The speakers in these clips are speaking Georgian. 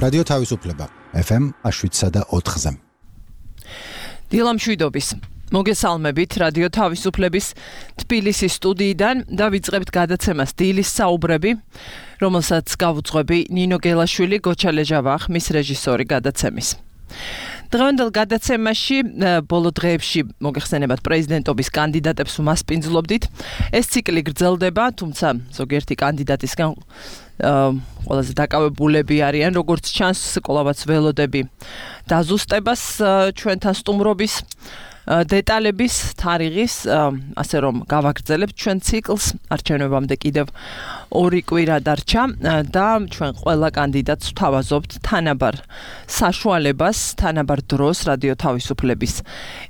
რადიო თავისუფლება FM 7.4-ზე. დილამშვიდობის მოგესალმებით რადიო თავისუფლების თბილისის სტუდიიდან და ვიწყებთ გადაცემას დილის საუბრები, რომელსაც გავუძღვები ნინო გელაშვილი, გოჩა ლეჟავა, ხმის რეჟისორი გადაცემის. დღევანდელ გადაცემაში ბოლო დღეებში მოგეხსენებათ პრეზიდენტობის კანდიდატებს უმასპინძლობდით. ეს ციკლი გრძელდება, თუმცა ზოგიერთი კანდიდატისგან ყველაზე დაკავებულები არიან, როგორც ჩანს, კვლავაც ველოდები დაზუსტებას ჩვენთან სტუმრობის დეტალების, თარიღის, ასე რომ გავაგრძელებთ ჩვენ ციკლს, არჩევნებამდე კიდევ 2 კვირა დარჩა და ჩვენ ყველა კანდიდატს ვთავაზობთ თანაბარ საშუალებას, თანაბარ დროს რადიო თავისუფლების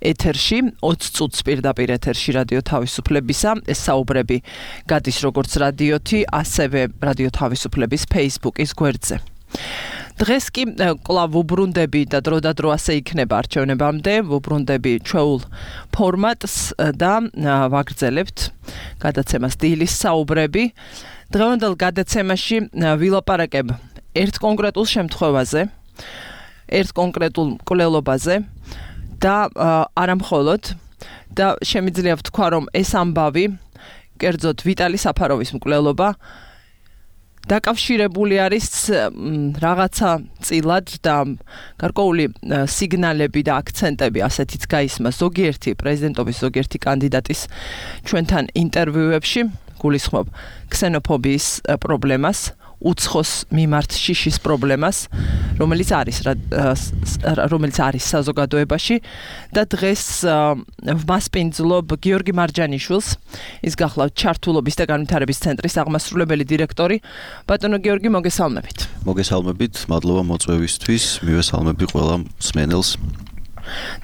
ეთერში, 20 წუთს პირდაპირ ეთერში რადიო თავისუფლებისა, ეს საუბრები გადის როგორც რადიოთი, ასევე რადიო თავისუფლების Facebook-ის გვერდზე. დღეს კი კვლავ ვუბრუნდები და დროდადრო ასე იქნება არჩევნებამდე, ვუბრუნდები ჩვეულ ფორმატს და ვაგრძელებთ გადაცემას დილის საუბრები. დღევანდელ გადაცემაში ვილაპარაკებ ერთ კონკრეტულ შემთხვევაზე, ერთ კონკრეტულ მკვლელობაზე და არა მხოლოდ და შემიძლია ვთქვა, რომ ეს ამბავი, კერძოდ ვიტალი საფაროვის მკვლელობა დაკავშირებული არის რაღაცა წილად და გარკვეული სიგნალები და აქცენტები ასეთიც გაისმა ზოგიერთი პრეზიდენტობის ზოგიერთი კანდიდატის ჩვენთან ინტერვიუებში, გულისხმობ ქსენოფობიის პრობლემას, უცხოს მიმართ შიშის პრობლემას, რომელიც არის საზოგადოებაში და დღეს ვმასპინძლობ გიორგი მარჯანიშვილს, ის გახლავთ ჩართულობის და განვითარების ცენტრის აღმასრულებელი დირექტორი. ბატონო გიორგი, მოგესალმებით. მოგესალმებით, მადლობა მოწვევისთვის, მივესალმები ყველა მსმენელს.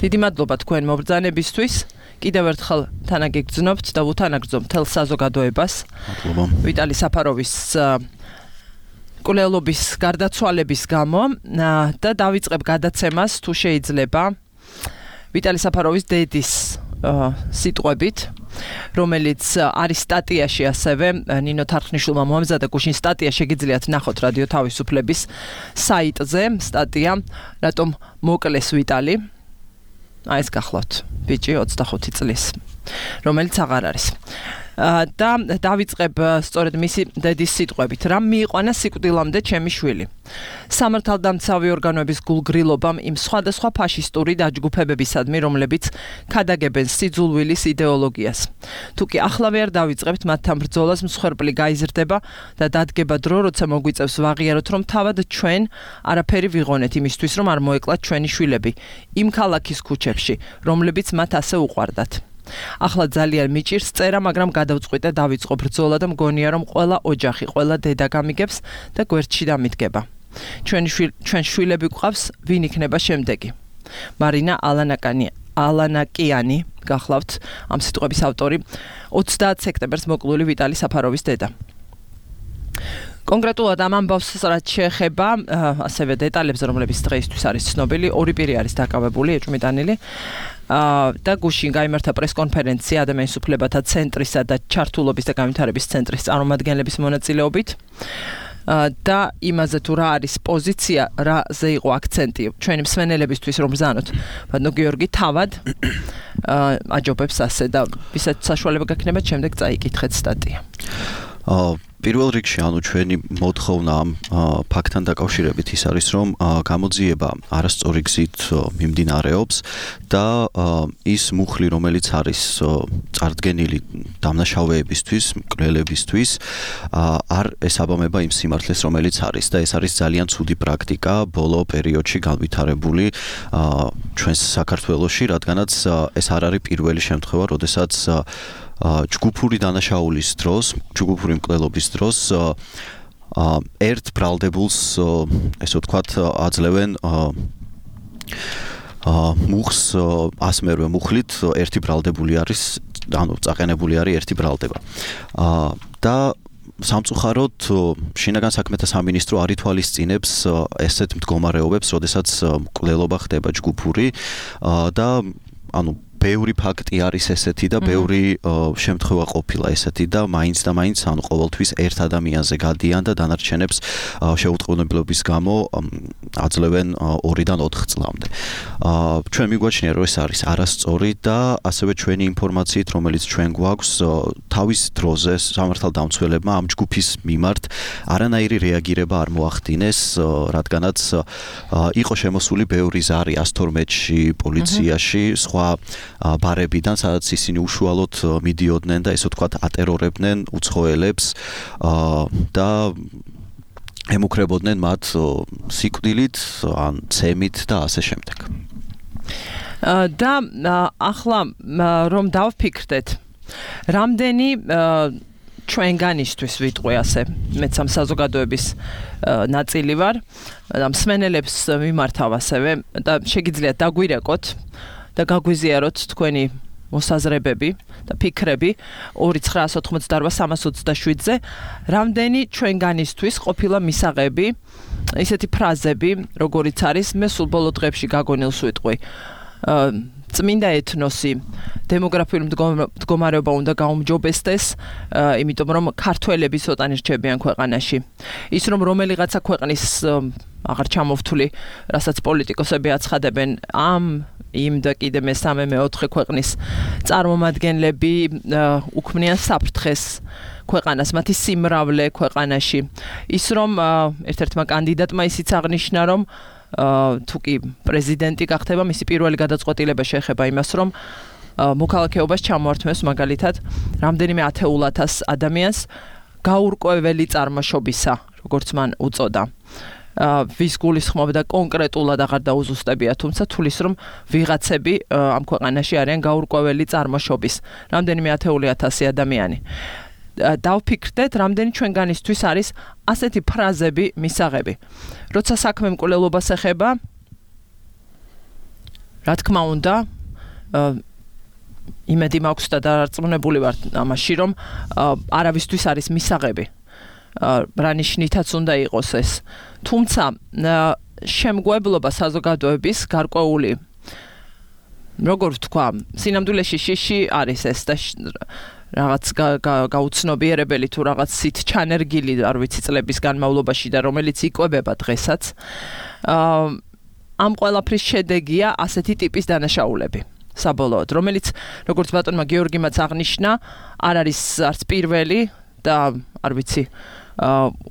დიდი მადლობა თქვენ მობრძანებისთვის. კიდევ ერთხელ თანაგეგრძნობთ და ვუთანაგრძნობ მთელ საზოგადოებას. მადლობა. ვიტალი საფაროვის მკვლელობის გარდაცვალების გამო და დავიწყებ გადაცემას, თუ შეიძლება, ვიტალი საფაროვის დედის სიტყვებით, რომელიც არის სტატიაში ასევე ნინო თარხნიშვილმა მოამზადა გუშინ სტატია, შეგიძლიათ ნახოთ რადიო თავისუფლების საიტზე, სტატია რატომ მოკლეს ვიტალი. ეს გახლავთ ბიჭი 25 წლის, რომელიც აღარ არის. და დავიწყებ სწორედ მისი დედის სიტყვებით. რამ მიიყვანა სიკვდილამდე ჩემი შვილი. სამართალდამცავი ორგანოების გულგრილობამ იმ სხვადასხვა ფაშისტური დაჯგუფებებისადმი, რომლებიც ქადაგებენ სიძულვილის იდეოლოგიას. თუკი ახლავე არ დავიწყებთ მათთან ბრძოლას, მსხვერპლი გაიზრდება და დადგება დრო, როცა მოგვიწევს ვაღიაროთ, რომ თავად ჩვენ არაფერი ვიღონეთ იმისთვის, რომ არ მოეკლათ ჩვენი შვილები იმ ქალაქის ქუჩებში, რომლებიც მათ ასე უყვარდათ. ახლა ძალიან მიჭირს წერა, მაგრამ გადავწყვიტე დავიწყო ბრძოლა და მგონია, რომ ყველა ოჯახი, ყველა დედა გამიგებს და გვერდში დამიდგება. ჩვენ შვილები გვყავს, ვინ იქნება შემდეგი. მარინა ალანაკიანი, გახლავთ ამ სიტყვების ავტორი, 30 სექტემბერს მოკლული ვიტალი საფაროვის დედა. კონკრეტულად ამ ამბავს რაც შეეხება ასევე დეტალებს, რომლებიც დღეისთვის არის ცნობილი, 2 პირი არის დაკავებული, ეჭვმიტანილი. და გუშინ გაიმართა პრესკონფერენცია ადამიანის უფლებათა ცენტრისა და ჩართულობის და განვითარების ცენტრის წარმომადგენლების მონაწილეობით და იმაზე თუ რა არის პოზიცია, რაზე იყო აქცენტი ჩვენი მსმენელებისთვის, რომ ბრძანოთ. ბატონო გიორგი, თავად აჯობებს ასე და ვისაც საშუალება გაქნებათ, შემდეგ წაიკითხეთ სტატია. პირველ რიგში, ჩვენი მოთხოვნა ამ ფაქტთან დაკავშირებით ის არის, რომ გამოძიება არასწორი გზით მიმდინარეობს და ის მუხლი, რომელიც არის წარდგენილი დამნაშავეებისთვის, მკვლელებისთვის, არ ესაბამება იმ სიმართლეს, რომელიც არის და ეს არის ძალიან ცუდი პრაქტიკა ბოლო პერიოდში განვითარებული ჩვენს საქართველოში, რადგანაც ეს არ არის პირველი შემთხვევა, როდესაც ჯგუფური დანაშაულის დროს, ჯგუფური მკვლელობის დროს ერთ ბრალდებულს, ესე ვთქვათ, აძლევენ მუხს ასმერვე მუხლით, ერთი ბრალდებული არის, წაყენებული არის ერთი ბრალდება. და სამწუხაროდ შინაგან საქმეთა სამინისტრო არ ითვალისწინებს ესეთ მდგომარეობებს, როდესაც მკვლელობა ხდება ჯგუფური და ბევრი ფაქტი არის ესეთი და ბევრი შემთხვევა ყოფილა ესეთი და მაინც ანუ ყოველთვის ერთ ადამიანზე გადიან და დანარჩენებს შეუწყვილებლობის გამო აძლევენ 2-დან 4 წლამდე. ჩვენ მიგვაჩნია რომ ეს არის არასწორი და ასევე ჩვენი ინფორმაციით რომელიც ჩვენ გვაქვს თავის დროზე სამართალდამცველებმა ამ ჯგუფის მიმართ არანაირი რეაგირება არ მოახდინეს, რადგანაც იყო შემოსული ბევრი ზარი 112-ში, პოლიციაში, სხვა ბარებიდან, სადაც ისინი უშუალოდ მიდიოდნენ და ესე ვთქვათ ატერორებდნენ უცხოელებს და ემუქრებოდნენ მათ სიკვდილით, ან ცემით და ასე შემდეგ. და ახლა რომ დავფიქრდეთ, რამდენი ჩვენგანისთვის ვიტყვი ასე, მეც ამ საზოგადოების ნაწილი ვარ და მსმენელებს მიმართავ ასევე და შეგიძლიათ დაგვირეკოთ და გაგვიზიაროთ თქვენი მოსაზრებები და ფიქრები 2988-327-ზე, რამდენი ჩვენგანისთვის ყოფილა მისაღები ისეთი ფრაზები, როგორიც არის მე სულ ბოლო დღეებში გაგონილს ვიტყვი. წმინდა ეთნოსი, დემოგრაფიული მდგომარეობა უნდა გაუმჯობესდეს, იმიტომ რომ ქართველები ცოტანი რჩებიან ქვეყანაში. ის რომ რომელიღაცა ქვეყნის აღარ ჩამოვთვლი, რასაც პოლიტიკოსები აცხადებენ, იმ და კიდე მესამე მეოთხე ქვეყნის წარმომადგენლები უქმნიან საფრთხეს ქვეყანას, მათი სიმრავლე ქვეყანაში. ის რომ ერთ-ერთმა კანდიდატმა ისიც აღნიშნა, რომ თუ კი პრეზიდენტი გახდება, მისი პირველი გადაწყვეტილება შეეხება იმას, რომ მოქალაქეობას ჩამოართმევს მაგალითად რამდენიმე 10,000 ადამიანს გაურკვეველი წარმოშობისა, როგორც მან უწოდა. ვის გულისხმობდა კონკრეტულად აღარ დაუზუსტებია, თუმცა თulis რომ ვიღაცები ამ ქვეყანაში არიან გაურკვეველი წარმოშობის, რამდენიმე 10,000 ადამიანი. დავფიქრდეთ, რამდენი ჩვენგანისთვის არის ასეთი ფრაზები მისაღები. როცა საქმე მკვლელობას ეხება, რა თქმა უნდა, იმედი მაქვს და დარწმუნებული ვარ ამაში, რომ არავისთვის არის მისაღები. რა ნიშნითაც უნდა იყოს ეს. თუმცა შემგვებლობა საზოგადოების გარკვეული, როგორ ვთქვა, სინამდვილეში შიში არის ეს და რაღაც გაუცნობიერებელი თუ რაღაც სით ჩანერგილი არ ვიცი წლების განმავლობაში და რომელიც იკვებება დღესაც. ამ ყველაფრის შედეგია ასეთი ტიპის დანაშაულები. საბოლოოდ, რომელიც როგორც ბატონმა გიორგიმაც აღნიშნა, არ არის არც პირველი და არ ვიცი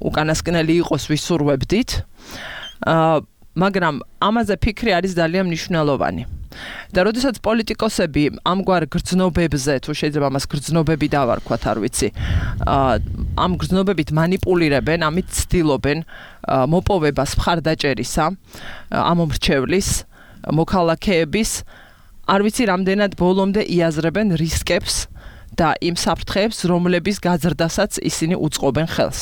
უკანასკნელი იყოს ვისურვებდით, მაგრამ ამაზე ფიქრი არის ძალიან მნიშვნელოვანი. და როდესაც პოლიტიკოსები ამგვარ გრძნობებზე, თუ შეიძლება ამას გრძნობები დავარქვათ, არ ვიცი, ამ გრძნობებით მანიპულირებენ, ამით ცდილობენ მოპოვებას მხარდაჭერისა, ამომრჩევლის, მოქალაქეების, არ ვიცი რამდენად ბოლომდე იაზრებენ რისკებს და იმ საფრთხეებს, რომლების გაზრდასაც ისინი უწყობენ ხელს.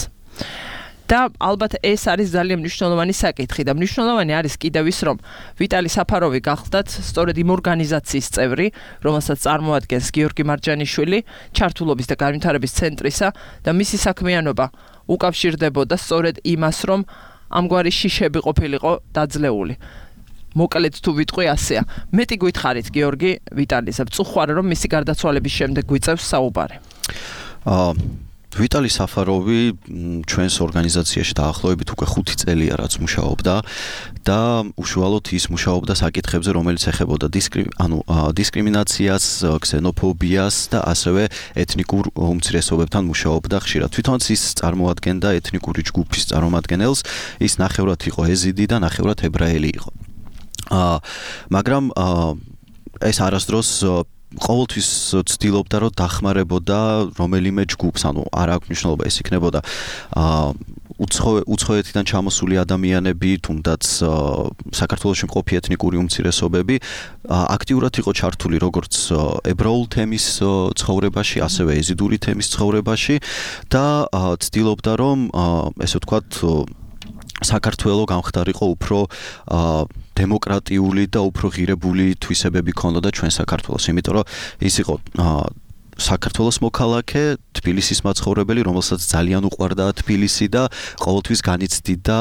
და ალბათ ეს არის ძალიან მნიშვნელოვანი საკითხი და მნიშვნელოვანი არის კიდევ ის, რომ ვიტალი საფაროვი გახდათ სწორედ იმ ორგანიზაციის წევრი, რომელსაც წარმოადგენს გიორგი მარჯანიშვილი, ჩართულობის და განვითარების ცენტრისა და მისი საქმიანობა უკავშირდებოდა სწორედ იმას, რომ ამგვარი შიშები ყოფილიყო დაძლეული. მოკლედ თუ ვიტყვი ასეა. მეტი გითხარით გიორგი ვიტალიზე, ვწუხარ რომ მისი გარდაცვალების შემდეგ გვიწევს საუბარი. ვიტალი საფაროვი ჩვენს ორგანიზაციაში დაახლოებით უკვე 5 წელია რაც მუშაობდა და უშუალოდ ის მუშაობდა საკითხებზე, რომელიც ეხებოდა დისკრიმინაციას, ქსენოფობიას და ასევე ეთნიკურ უმცირესობებთან მუშაობდა ხშირად. თვითონაც ის წარმოადგენდა ეთნიკური ჯგუფის წარმომადგენელს, ის ნახევრად იყო ეზიდი და ნახევრად ებრაელი იყო. მაგრამ ეს არასდროს ყოველთვის ცდილობდა რომ დახმარებოდა რომელიმე ჯგუფს, არ აქვს მნიშვნელობა ეს იქნებოდა უცხოეთიდან ჩამოსული ადამიანები, თუნდაც საქართველოში მყოფი ეთნიკური უმცირესობები, აქტიურად იყო ჩართული როგორც ებრაულ თემის ცხოვრებაში, ასევე ეზიდური თემის ცხოვრებაში და ცდილობდა რომ ესე ვთქვათ საქართველო გამხდარიყო უფრო დემოკრატიული და უფრო ღირებული თვისებები ქონოდა ჩვენ საქართველოს, იმიტომ რომ ის იყო საქართველოს მოქალაქე, თბილისის მაცხოვრებელი, რომელსაც ძალიან უყვარდა თბილისი და ყოველთვის განიცდიდა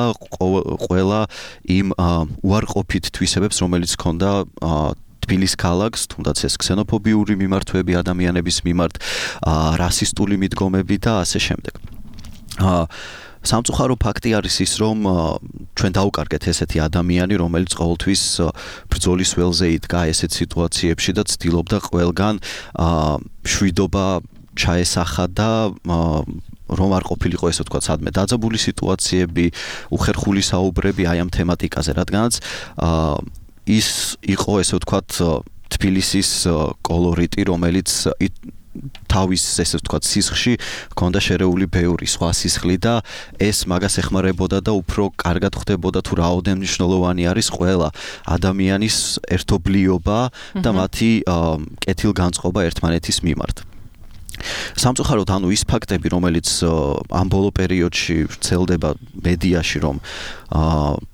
ყველა იმ უარყოფით თვისებებს, რომელიც ქონდა თბილის ქალაქს, თუნდაც ეს ქსენოფობიური მიმართვები ადამიანების მიმართ, რასისტული მიდგომები და ასე შემდეგ. სამწუხარო ფაქტი არის ის, რომ ჩვენ დავუკარგეთ ესეთი ადამიანი, რომელიც ყოველთვის ბრძოლის ველზე იდგა ესეთ სიტუაციებში და ცდილობდა ყველგან შვიდობა ჩაესახა და რომ არ ყოფილიყო ესე ვთქვათ სადმე დაძაბული სიტუაციები, უხერხული საუბრები აი ამ თემატიკაზე, რადგანაც ის იყო ესე ვთქვათ თბილისის კოლორიტი, რომელიც თავის ესე ვთქვათ სისხლში ჰქონდა შერეული ბევრი სხვა სისხლი და ეს მაგას ეხმარებოდა და უფრო კარგად ხდებოდა თუ რაოდენ მნიშვნელოვანი არის ყველა ადამიანის ერთობლიობა და მათი კეთილგანწყობა ერთმანეთის მიმართ. სამწუხაროდ ანუ ის ფაქტები, რომელიც ამ ბოლო პერიოდში ვრცელდება მედიაში, რომ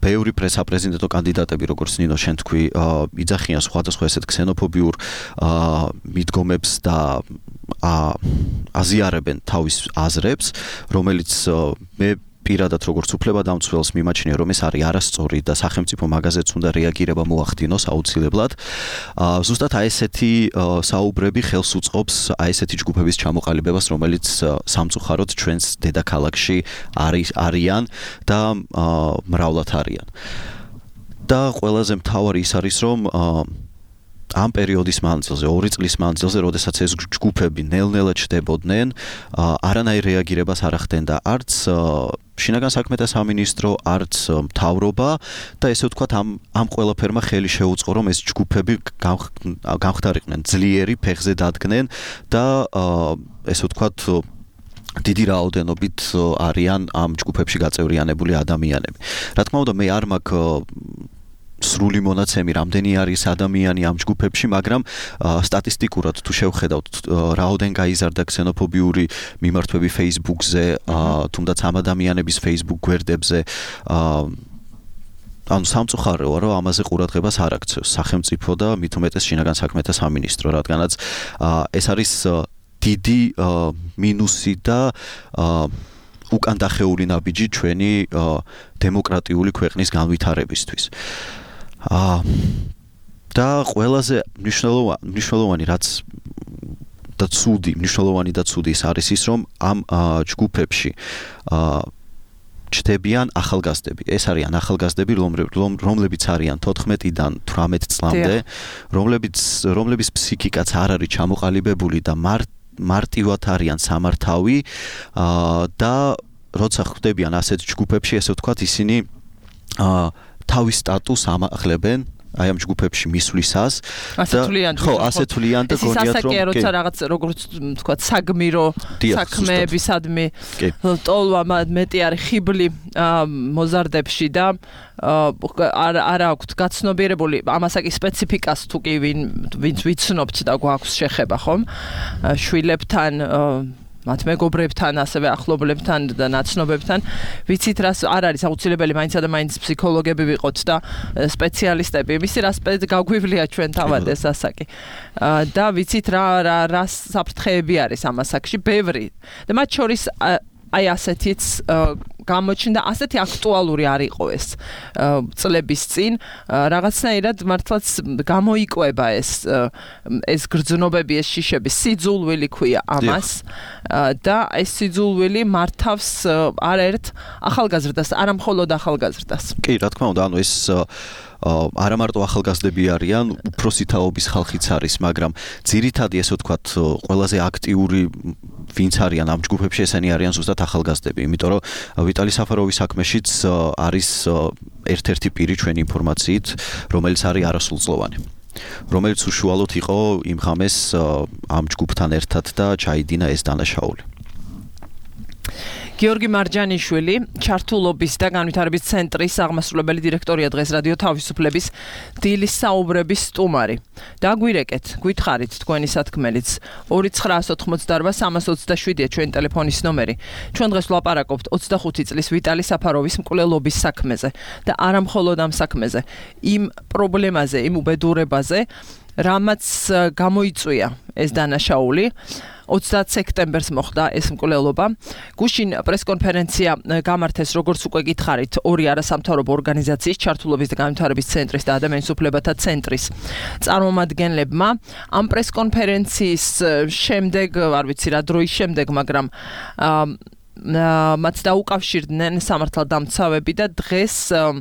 ბევრი პრესაპრეზიდენტო კანდიდატები, როგორც ნინო შენ თქვი, იძახიან სხვადასხვა ესეთ ქსენოფობიურ მიდგომებს და აზიარებენ თავის აზრებს, რომელიც მე პირადად როგორც უფლებადამცველს მიმაჩნია, რომ ეს არის არასწორი და სახელმწიფო მაგაზეც უნდა რეაგირება მოახდინოს აუცილებლად. ზუსტად აი ესეთი საუბრები ხელს უწყობს აი ესეთი ჯგუფების ჩამოყალიბებას, რომელიც სამწუხაროდ ჩვენს დედაქალაქში არიან და მრავლად არიან. და ყველაზე მთავარი ის არის, რომ ამ პერიოდის მანძილზე, 2 წლის მანძილზე, როდესაც ეს ჯგუფები ნელ-ნელა ჩდებოდნენ, არანაირ რეაგირებას არ ახდენდა არც შინაგან საქმეთა სამინისტრო, არც მთავრობა და ესე ვთქვათ ამ ყველაფერმა ხელი შეუწყო, რომ ეს ჯგუფები გამხდარიყვნენ ძლიერი ფეხზე დადგნენ და ესე ვთქვათ დიდი რაოდენობით არიან ამ ჯგუფებში გაწევრიანებული ადამიანები. რა თქმა უნდა, მე არ მაქვს სრული მონაცემი, რამდენი არის ადამიანი ამ ჯგუფებში, მაგრამ სტატისტიკურად თუ შევხედავთ, რაოდენ გაიზარდა ქსენოფობიური მიმართვები Facebook-ზე, თუნდაც ამ ადამიანების Facebook გვერდებზე, ანუ სამწუხაროა, რომ ამაზე ყურადღებას არ აქცევს სახელმწიფო და მით უმეტეს შინაგან საქმეთა სამინისტრო, რადგანაც ეს არის დიდი მინუსი და უკან დახეული ნაბიჯი ჩვენი დემოკრატიული ქვეყნის განვითარებისთვის. და ყველაზე მნიშვნელოვანი რაც და ცუდი ის არის ის, რომ ამ ჯგუფებში ჩდებიან ახალგაზრდები. ეს არიან ახალგაზრდები, რომლებიც არიან 14-დან 18 წლამდე, რომლებიც ფსიქიკაც არ არის ჩამოყალიბებული და მარტივად არიან სამართავი და როცა ხდებიან ასეთ ჯგუფებში, ესე ვთქვათ, ისინი თავის სტატუსს ამახლებენ აი ამ ჯგუფებში მისვლისას ასე თვლიან და გონიათ რომ როცა რაღაც როგორც ვთქვათ საგმირო საქმეებისადმი ტოლვა მეტი არის ხიბლი მოზარდებში და არ აქვს გაცნობიერებული ამასაკი სპეციფიკას თუ კი ვინც ვიცნობთ და გვაქვს შეხება ხომ შვილებთან მათ მეგობრებთან, ასევე ახლობლებთან და ნაცნობებთან, ვიცით რას არ არის აუცილებელი მაინც და მაინც ფსიქოლოგები ვიყოთ და სპეციალისტები. იმისი რა გაგვივლია ჩვენ თავად ეს ასაკი. და ვიცით რა საფრთხეები არის ამ ასაკში, ბევრი. და მათ შორის აი ასეთიც გამოჩნდა, ასეთი აქტუალური არ იყო ეს წლების წინ, რაღაცნაირად მართლაც გამოიკვება ეს გრძნობები, ეს შიშები, სიძულვილი ქვია ამას და ეს სიძულვილი მართავს არაერთ ახალგაზრდას, არა მხოლოდ ახალგაზრდას. კი, რა თქმა უნდა, ანუ ეს არა მარტო ახალგაზრდები არიან, უფროსი თაობის ხალხიც არის, მაგრამ ძირითადი ესე ვთქვათ, ყველაზე აქტიური ვინც არიან ამ ჯგუფებში, ესენი არიან ზუსტად ახალგაზრდები, იმიტომ რომ ვიტალი საფაროვის საქმეშიც არის ერთ-ერთი პირი ჩვენი ინფორმაციით, რომელიც არის არასრულწლოვანი, რომელიც უშუალოდ იყო იმ ღამეს ამ ჯგუფთან ერთად და ჩაიდინა ეს დანაშაული. გიორგი მარჯანიშვილი, ჩართულობის და განვითარების ცენტრის აღმასრულებელი დირექტორია დღეს რადიო თავისუფლების დილის საუბრების სტუმარი. დაგვირეკეთ, გითხარით თქვენი სათქმელიც 2988327-ია ჩვენი ტელეფონის ნომერი. ჩვენ დღეს ვლაპარაკობთ 25 წლის ვიტალი საფაროვის მკვლელობის საქმეზე და არა მხოლოდ ამ საქმეზე, იმ პრობლემაზე, იმ უბედურებაზე, რამაც გამოიწვია ეს დანაშაული 30 სექტემბერს მოხდა ეს მკვლელობა. გუშინ პრესკონფერენცია გამართეს, როგორც უკვე გითხარით, ორი არასამთავრობო ორგანიზაციის ჩართულობის და განვითარების ცენტრის და ადამიანის უფლებათა ცენტრის წარმომადგენლებმა. ამ პრესკონფერენციის შემდეგ, არ ვიცი რა დროის შემდეგ, მაგრამ მათ დაუკავშირდნენ სამართალდამცავები და დღეს ამ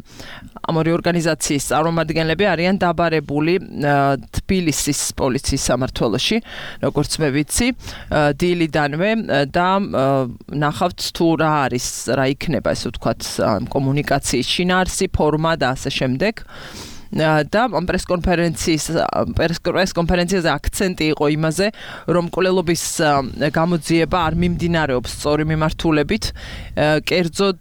ორი ორგანიზაციის წარმომადგენლები არიან დაბარებული თბილისის პოლიციის სამმართველოში, როგორც მე ვიცი, დილიდანვე და ნახავთ თუ რა არის, რა იქნება, ესე ვთქვათ, კომუნიკაციის შინაარსი, ფორმა და ასე შემდეგ. და ამ პრესკონფერენციაზე აქცენტი იყო იმაზე, რომ მკვლელობის გამოძიება არ მიმდინარეობს სწორი მიმართულებით. კერძოდ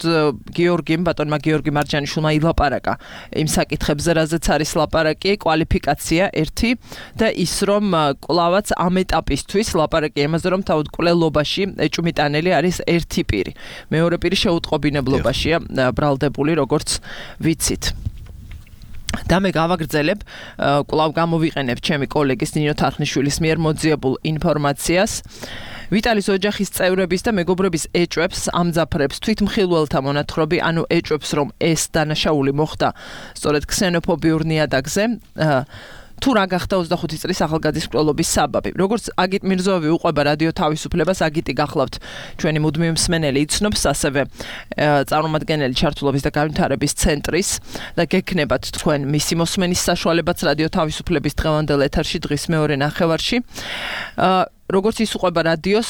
ბატონმა გიორგი მარჯანიშვილმა ილაპარაკა იმ საკითხებზე, რაზეც არის ლაპარაკი, კვალიფიკაცია ერთი და ის, რომ კვლავაც ამ ეტაპისთვის ლაპარაკი იმაზე, რომ თავად მკვლელობაში ეჭვმიტანელი არის ერთი პირი. მეორე პირი შეუტყობინებლობაშია ბრალდებული, როგორც ვიცით. და მე გავაგრძელებ, კვლავ გამოვიყენებ ჩემი კოლეგის ნინო თარხნიშვილის მიერ მოძიებულ ინფორმაციას. ვიტალის ოჯახის წევრების და მეგობრების ეჭვებს ამძაფრებს თვითმხილველთა მონათხრობი, ანუ ეჭვებს, რომ ეს დანაშაული მოხდა სწორედ ქსენოფობიურ ნიადაგზე. თუ რა გახდა 25 წლის ახალგაზრდის მკვლელობის საბაბი. როგორც აგიტ მირზოევი უყვება რადიო თავისუფლებას, აგიტი გახლავთ ჩვენი მუდმივი მსმენელი, იცნობს ასევე წარმომადგენელი ჩართულობის და განვითარების ცენტრის და გექნებათ თქვენ მისი მოსმენის საშუალებაც რადიო თავისუფლების დღევანდელ ეთერში დღის მეორე ნახევარში. როგორც ის უყვება რადიოს,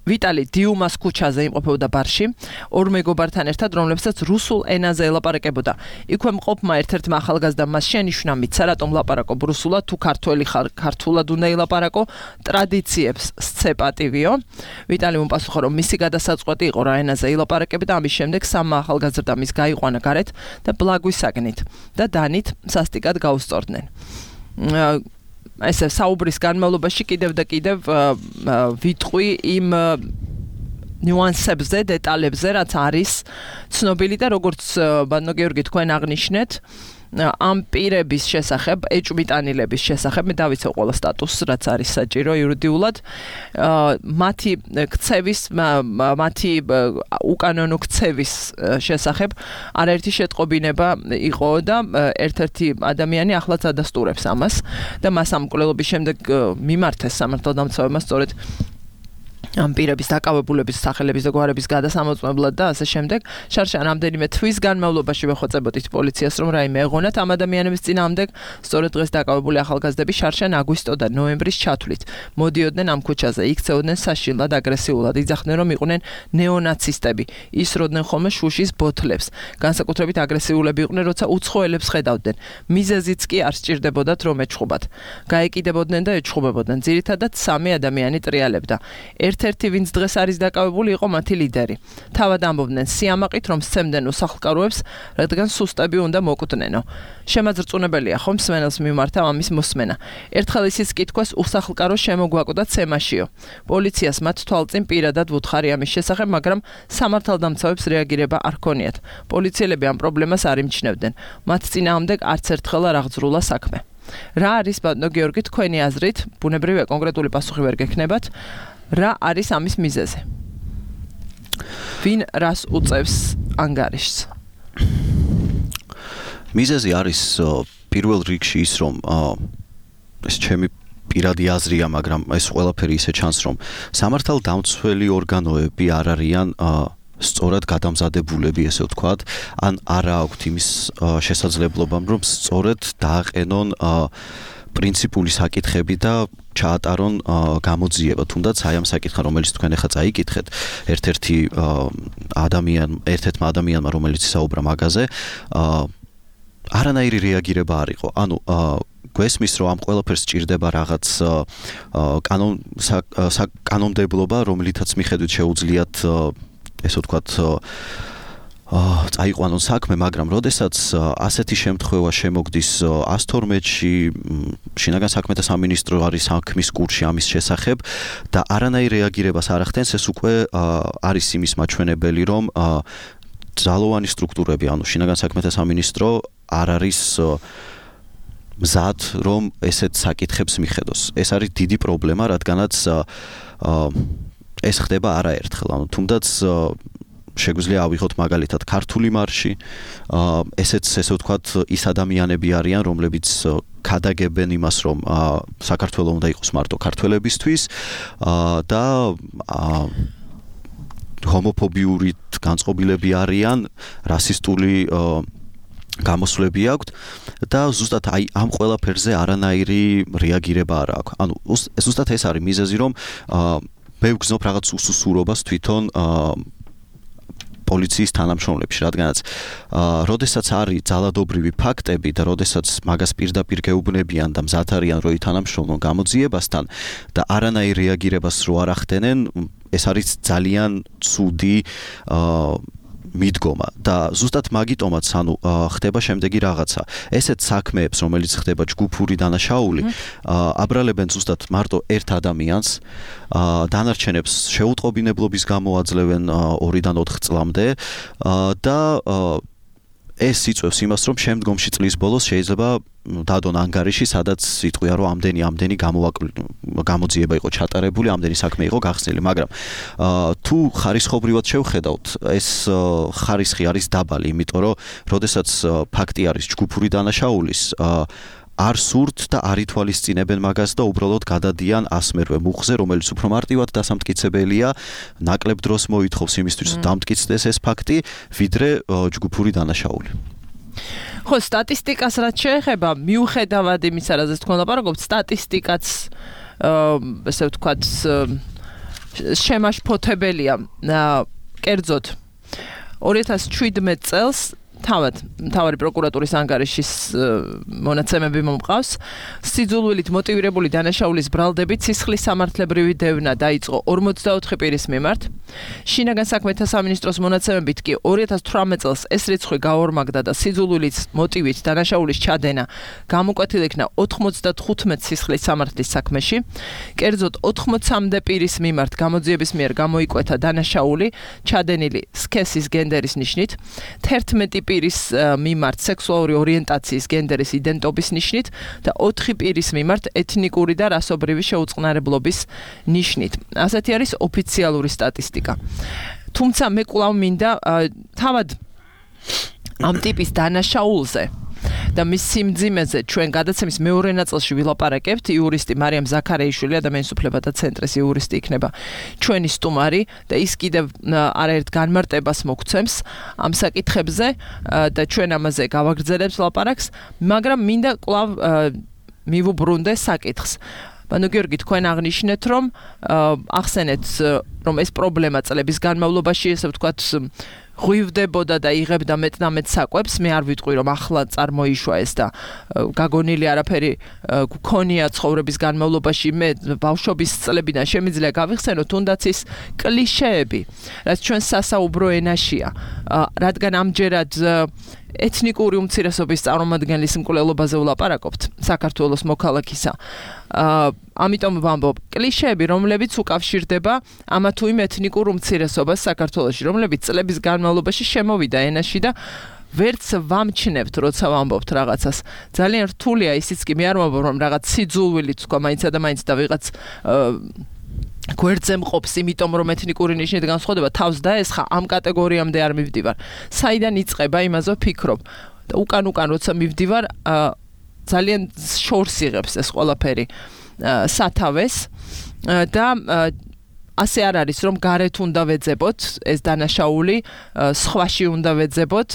ვიტალი დიუმას ქუჩაზე იმყოფებოდა ბარში, ორ მეგობართან ერთად, რომლებსაც რუსულ ენაზე ელაპარაკებოდა. იქვე მყოფმა ერთ-ერთმა ახალგაზრდამ მას შენიშვნა მიცა, რატომ ლაპარაკობ რუსულად, თუ ქართველი ხარ, ქართულად უნდა ელაპარაკო, ტრადიციებს სცე პატივიო. ვიტალი მომპასუხა, რომ მისი გადასაწყვეტი იყო რა ენაზე ელაპარაკებდა და ამის შემდეგ სამმა ახალგაზრდამ ის გაიყვანა გარეთ და ბლაგვისაგნით და დანით სასტიკად გაუსწორდნენ. ესე საუბრის განმავლობაში კიდევ და კიდევ ვიტყვი იმ ნიუანსებზე, დეტალებზე, რაც არის ცნობილი და როგორც ბატონო გიორგი თქვენ აღნიშნეთ, ამ პირების შესახებ, ეჭვმიტანილების შესახებ, მე დავიცავ ყველა სტატუსს, რაც არის საჭირო იურიდიულად, მათი ქცევის, მათი უკანონო ქცევის შესახებ არაერთი შეტყობინება იყო და ერთ-ერთი ადამიანი ახლაც ადასტურებს ამას და მას ამ მკვლელობის შემდეგ მიმართეს სამართალდამცავებმა სწორედ ამ პირების დაკავებულების სახელების და გვარების გადასამოწმებლად და ასე შემდეგ. შარშან რამდენიმე თვის განმავლობაში ვეხვეწებოდით პოლიციას, რომ რაიმე ეღონათ ამ ადამიანების წინააღმდეგ. სწორედ დღეს დაკავებული ახალგაზრდები შარშან აგვისტო და ნოემბრის ჩათვლით მოდიოდნენ ამ ქუჩაზე, იქცეოდნენ საშინლად, აგრესიულად, იძახდნენ, რომ იყვნენ ნეონაცისტები, ისროდნენ ხოლმე შუშის ბოთლებს. განსაკუთრებით აგრესიულები იყვნენ, როცა უცხოელებს ხედავდნენ. მიზეზიც კი არ სჭირდებოდათ, რომ ეჩხუბათ. გაეკიდებოდნენ და ეჩხუბებოდნენ. ძირითადად სამი ადამიანი ტრიალებდა. ერთ-ერთი, ვინც დღეს არის დაკავებული, იყო მათი ლიდერი. თავად ამბობდნენ სიამაყით, რომ სცემდნენ უსახლკაროებს, რადგან სუსტები უნდა მოკვდნენო. შემაძრწუნებელია ხომ მსმენელს მიმართა ამის მოსმენა. ერთხელ ისიც კითხვას უსახლკარო შემოგვაკვდა ცემაშიო. პოლიციას მათ თვალწინ პირადად ვუთხარი ამის შესახებ, მაგრამ სამართალდამცავებს რეაგირება არ ქონიათ. პოლიციელები ამ პრობლემას არ იმჩნევდნენ. მათ წინააღმდეგ არც ერთხელ არ აღძრულა საქმე. რა არის ბატონო გიორგი თქვენი აზრით, ბუნებრივია კონკრეტული პასუხი ვერ გექნებათ, რა არის ამის მიზეზი? ვინ რას უწევს ანგარიშს? მიზეზი არის პირველ რიგში ის, რომ ეს ჩემი პირადი აზრია, მაგრამ ეს ყველაფერი ისე ჩანს, რომ სამართალდამცველი ორგანოები არ არიან სწორად გადამზადებულები, ესე ვთქვათ, ან არა აქვთ იმის შესაძლებლობამ, რომ სწორად დააყენონ პრინციპული საკითხები და ჩაატარონ გამოძიება, თუნდაც აი ამ საკითხთან, რომელიც თქვენ ახლა წაიკითხეთ, ერთ-ერთმა ადამიანმა, რომელიც საუბრა მაგაზე, არანაირი რეაგირება არ იყო. ანუ გვესმის, რომ ამ ყველაფერს სჭირდება რაღაც კანონმდებლობა, რომლითაც მიხედვით შეუძლიათ, ესე ვთქვათ, წაიყვანონ საქმე, მაგრამ როდესაც ასეთი შემთხვევა შემოგდის 112-ში, შინაგან საქმეთა სამინისტრო არის საქმის კურსში ამის შესახებ და არანაირ რეაგირებას არ ახდენს, ეს უკვე არის იმის მაჩვენებელი, რომ ძალოვანი სტრუქტურები, ანუ შინაგან საქმეთა სამინისტრო არ არის მზად რომ ესეთ საკითხებს მიხედოს. ეს არის დიდი პრობლემა, რადგანაც ეს ხდება არაერთხელ. ანუ თუნდაც შეგვიძლია ავიღოთ მაგალითად ქართული მარში, ესეც ესე ვთქვათ ის ადამიანები არიან, რომლებიც ქადაგებენ იმას, რომ საქართველოს უნდა იყოს მარტო ქართველებისთვის და ჰომოფობიური განწყობილები არიან, რასისტული გამოსვლები აქვთ და ზუსტად აი ამ ყველაფერზე არანაირი რეაგირება არ აქვს. ანუ ზუსტად ეს არის მიზეზი, რომ მე ვგზნობ რაღაც უსუსურობას თვითონ პოლიციის თანამშრომლებში, რადგანაც როდესაც არის ძალადობრივი ფაქტები და როდესაც მაგას პირდაპირ გეუბნებიან და მზად არიან რო ითანამშრომლონ გამოძიებასთან და არანაირ რეაგირებას რო არ ახდენენ, ეს არის ძალიან ცუდი მიდგომა და ზუსტად მაგიტომაც ანუ ხდება შემდეგი რაღაცა. ესეთ საქმეებს, რომელიც ხდება ჯგუფური დანაშაული, აბრალებენ ზუსტად მარტო ერთ ადამიანს, დანარჩენებს შეუტყობინებლობის გამო აძლევენ 2-დან 4 წლამდე და ეს იწვევს იმას, რომ შემდგომში წლის ბოლოს შეიძლება დადონ ანგარიში, სადაც იტყვია, რომ ამდენი გამოძიება იყო ჩატარებული, ამდენი საქმე იყო გახსნილი, მაგრამ თუ ხარისხობრივად შევხედავთ, ეს ხარისხი არის დაბალი, იმიტომ რომ როდესაც ფაქტი არის ჯგუფური დანაშაულის, არ სურთ და არ ითვალისწინებენ მაგას და უბრალოდ გადადიან ასმერვე მუხზე, რომელიც უფრო მარტივად დასამტკიცებელია, ნაკლებ დროს მოითხოვს იმისთვის, რომ დამტკიცდეს ეს ფაქტი, ვიდრე ჯგუფური დანაშაული. ხო, სტატისტიკას რაც შეეხება, მიუხედავად იმისა, რაზეც თქვენ ლაპარაკობთ, სტატისტიკაც ესე ვთქვათ შემაშფოთებელია. კერძოდ 2017 წელს მთავარი პროკურატურის ანგარიშის მონაცემები მომყავს. სიძულვილით მოტივირებული დანაშაულის ბრალდებით სისხლის სამართლებრივი დევნა დაიწყო 44 პირის მიმართ. შინაგან საქმეთა სამინისტროს მონაცემებით კი 2018 წელს ეს რიცხვი გაორმაგდა და სიძულვილით მოტივით დანაშაულის ჩადენა გამოკვეთილ იქნა 95 სისხლის სამართლის საქმეში. კერძოდ 80-მდე პირის მიმართ გამოძიების მიერ გამოიკვეთა დანაშაული ჩადენილი სქესის გენდერის ნიშნით, 11 პირის მიმართ სექსუალური ორიენტაციის გენდერის იდენტობის ნიშნით და 4 პირის მიმართ ეთნიკური და რასობრივი შეუწყნარებლობის ნიშნით. ასეთი არის ოფიციალური სტატისტიკა. თუმცა მე კვლავ მინდა თავად ამ ტიპის დანაშაულზე და მის სიმძიმეზე ჩვენ გადაცემის მეორე ნაწილში ვილაპარაკებთ. იურისტი მარიამ ზაქარეიშვილი, ადამიანის უფლებათა ცენტრის იურისტი იქნება ჩვენი სტუმარი და ის კიდევ არაერთ განმარტებას მოგცემს ამ საკითხებზე და ჩვენ ამაზე გავაგრძელებთ ლაპარაკს, მაგრამ მინდა კვლავ მივუბრუნდე საკითხს. ბანო გიორგი, თქვენ აღნიშნეთ, რომ ახსენეთ, რომ ეს პრობლემა წლების განმავლობაში, ესე ვთქვათ, ღვივდებოდა და იღებდა მეტ საკვებს. მე არ ვიტყვი, რომ ახლა წარმოიშვა ეს და გაგონილი არაფერი გქონია ცხოვრების განმავლობაში. მე ბავშვობის წლებიდან შემიძლია გავიხსენო თუნდაც ის კლიშეები, რაც ჩვენ სასაუბრო ენაშია, რადგან ამჯერად ეთნიკური უმცირესობის წარმომადგენლის მკვლელობაზე ვლაპარაკობთ საქართველოს მოქალაქისა. ამიტომ ვამბობ, კლიშეები, რომლებიც უკავშირდება ამა თუ იმ ეთნიკურ უმცირესობას საქართველოში, რომლებიც წლების განმავლობაში შემოვიდა ენაში და ვერც ვამჩნევთ, როცა ვამბობთ რაღაცას. ძალიან რთულია ისიც კი, მე არ ვამბობ, რომ რაღაც სიძულვილით თქვა მაინც და მაინც და ვიღაც გვერდზე მყოფს, იმიტომ რომ ეთნიკური ნიშნით განსხვავდება, თავს დაესხა, ამ კატეგორიამდე არ მივდივარ. საიდან იწყება, იმაზე ვფიქრობ. და უკან როცა მივდივარ, ძალიან შორს იღებს ეს ყველაფერი სათავეს და ასე არ არის, რომ გარეთ უნდა ვეძებოთ ეს დანაშაული, სხვაში უნდა ვეძებოთ.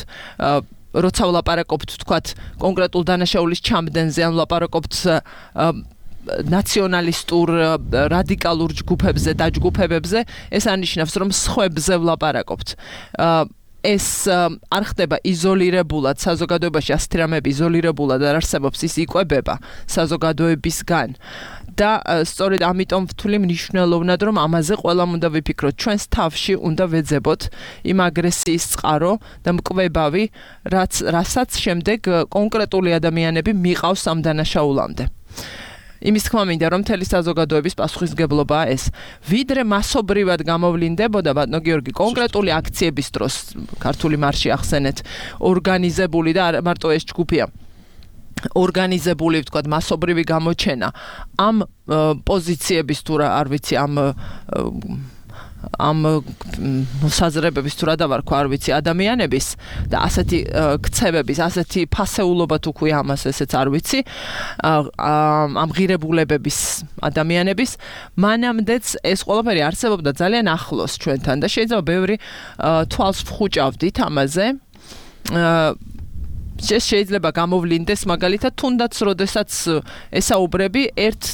როცა ვლაპარაკობთ, თქვათ, კონკრეტულ დანაშაულის ჩამდენზე, ან ვლაპარაკობთ ნაციონალისტურ რადიკალურ ჯგუფებზე და ჯგუფებებზე, ეს ანიშნავს, რომ სხვებზე ვლაპარაკობთ. ეს არ ხდება იზოლირებულად საზოგადოებაში, ასეთი რამეები იზოლირებულად არ არსებობს, ის იკვებება საზოგადოებისგან. და სწორედ ამიტომ ვთვლი მნიშვნელოვნად, რომ ამაზე ყველამ უნდა ვიფიქროთ. ჩვენს თავში უნდა ვეძებოთ იმ აგრესიის წყარო და მკვლევავი, რასაც შემდეგ კონკრეტული ადამიანები მიყავს ამ დანაშაულამდე. იმის თქმა მინდა, რომ მთელი საზოგადოების პასუხისმგებლობაა ეს. ვიდრე მასობრივად გამოვლინდებოდა, ბატონო გიორგი, კონკრეტული აქციების დროს, ქართული მარში ახსენეთ, ორგანიზებული და არ მარტო ეს ჯგუფია. ორგანიზებული, ვთქვათ, მასობრივი გამოჩენა ამ პოზიციების თუ რა არ ვიცი ამ საზრებების თუ რა დავარქვა არ ვიცი ადამიანების და ასეთი ქცევების, ასეთი ფასეულობა თუ ქვია ამას ესეც არ ვიცი ამ ღირებულებების ადამიანების მანამდეც ეს ყველაფერი არსებობდა ძალიან ახლოს ჩვენთან და შეიძლება ბევრი თვალს ვხუჭავდით ამაზე შეიძლება გამოვლინდეს მაგალითად თუნდაც როდესაც ესაუბრები ერთ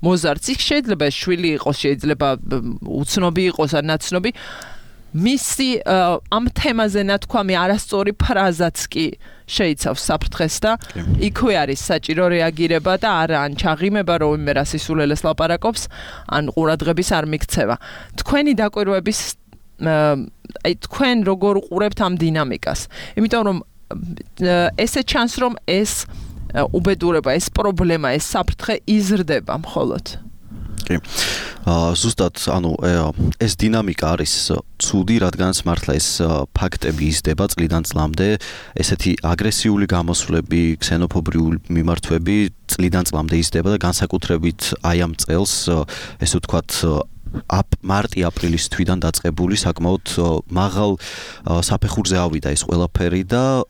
მოზარდს იქ შეიძლება შვილი იყოს შეიძლება უცნობი იყოს ან ნაცნობი მისი ამ თემაზე ნათქვამი არასწორი ფრაზაც კი შეიცავს საფრთხეს და იქვე არის საჭირო რეაგირება და არა ან ჩაღიმება რომ მე რასისულელეს ლაპარაკობს ან ყურადღების არ მიქცევა თქვენი დაკვირვების აი თქვენ როგორ უყურებთ ამ დინამიკას იმიტომ რომ ესე ჩანს რომ ეს უბედურება, ეს პრობლემა, ეს საფრთხე იზრდება მხოლოდ. კი. ზუსტად, ანუ ეს დინამიკა არის ცუდი, რადგანაც მართლა ეს ფაქტები იზრდება წლიდან წლამდე, ესეთი აგრესიული გამოსვლები, ქსენოფობიური მიმართვები წლიდან წლამდე იზრდება და განსაკუთრებით აი ამ წელს, ესე ვთქვათ მარტი-აპრილის თვიდან დაწყებული საკმაოდ მაღალ საფეხურზე ავიდა ეს ყველაფერი და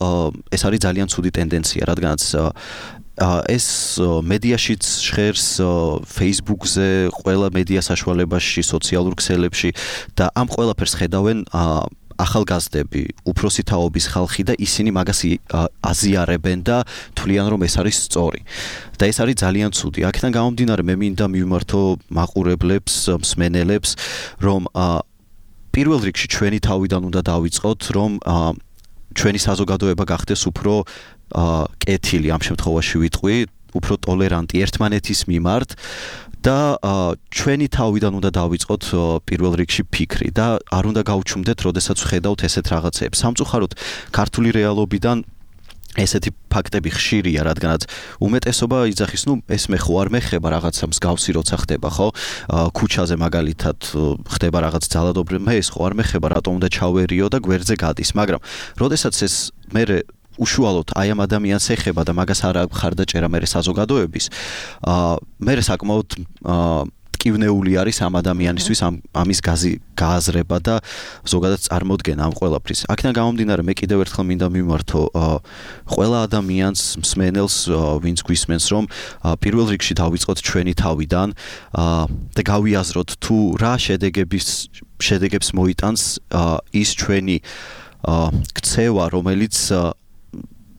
ეს არის ძალიან ცუდი ტენდენცია, რადგანაც ეს მედიაშიც ჟღერს Facebook-ზე, ყველა მედია საშუალებაში, სოციალურ ქსელებში და ამ ყველაფერს ხედავენ ახალგაზრდები, უფროსი თაობის ხალხი და ისინი მაგას აზიარებენ და თვლიან რომ ეს არის სწორი. და ეს არის ძალიან ცუდი. აქედან გამომდინარე მე მინდა მივმართო მაყურებლებს, მსმენელებს, რომ პირველ რიგში ჩვენი თავიდან უნდა დავიწყოთ, რომ ჩვენი საზოგადოება გახდეს უფრო კეთილი ამ შემთხვევაში ვიტყვი, უფრო ტოლერანტი ერთმანეთის მიმართ და ჩვენი თავიდან უნდა დავიწყოთ პირველ რიგში ფიქრი და არ უნდა გავჩუმდეთ, როდესაც ვხედავთ ესეთ რაღაცებს. სამწუხაროდ ქართული რეალობიდან ესეთი ფაქტები ხშირია, რადგანაც უმეტესობა იძახის, ეს მე ხო არ მეხება რაღაცა მსგავსი როცა ხდება, ხო? ქუჩაზე მაგალითად ხდება რაღაც ძალადობრივი, მე ეს ხო არ მეხება, რატომ უნდა ჩავერიო და გვერდზე გადის, მაგრამ როდესაც ეს მე უშუალოდ აი ამ ადამიანს ეხება და მაგას არ ხარდაჭერა მე საზოგადოების, მე საკმაოდ ტკივნეული არის ამ ადამიანისთვის ამის გააზრება და ზოგადად წარმოდგენა ამ ყველაფრის. აქედან გამომდინარე მე კიდევ ერთხელ მინდა მიმართო ყველა ადამიანს, მსმენელს, ვინც გვისმენს, რომ პირველ რიგში დავიწყოთ ჩვენი თავიდან და გავიაზროთ თუ რა შედეგებს მოიტანს ის ჩვენი ქცევა, რომელიც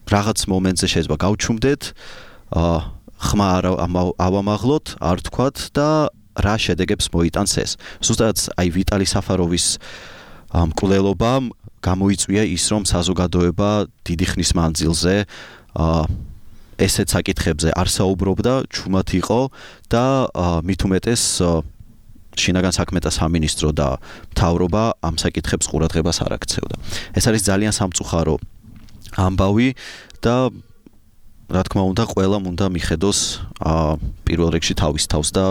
რაღაც მომენტზე შეიძლება გავჩუმდეთ, ხმა ავამაღლოთ, არ თქვათ და რა შედეგებს მოიტანს ეს. ზუსტად აი ვიტალი საფაროვის მკვლელობამ გამოიწვია ის, რომ საზოგადოება დიდი ხნის მანძილზე ესეთ საკითხებზე არ საუბრობდა, ჩუმად იყო და მით უმეტეს შინაგან საქმეთა სამინისტრო და მთავრობა ამ საკითხებს ყურადღებას არ აქცევდა. ეს არის ძალიან სამწუხარო ამბავი და რა თქმა უნდა ყველამ უნდა მიხედოს პირველ რიგში თავის თავს და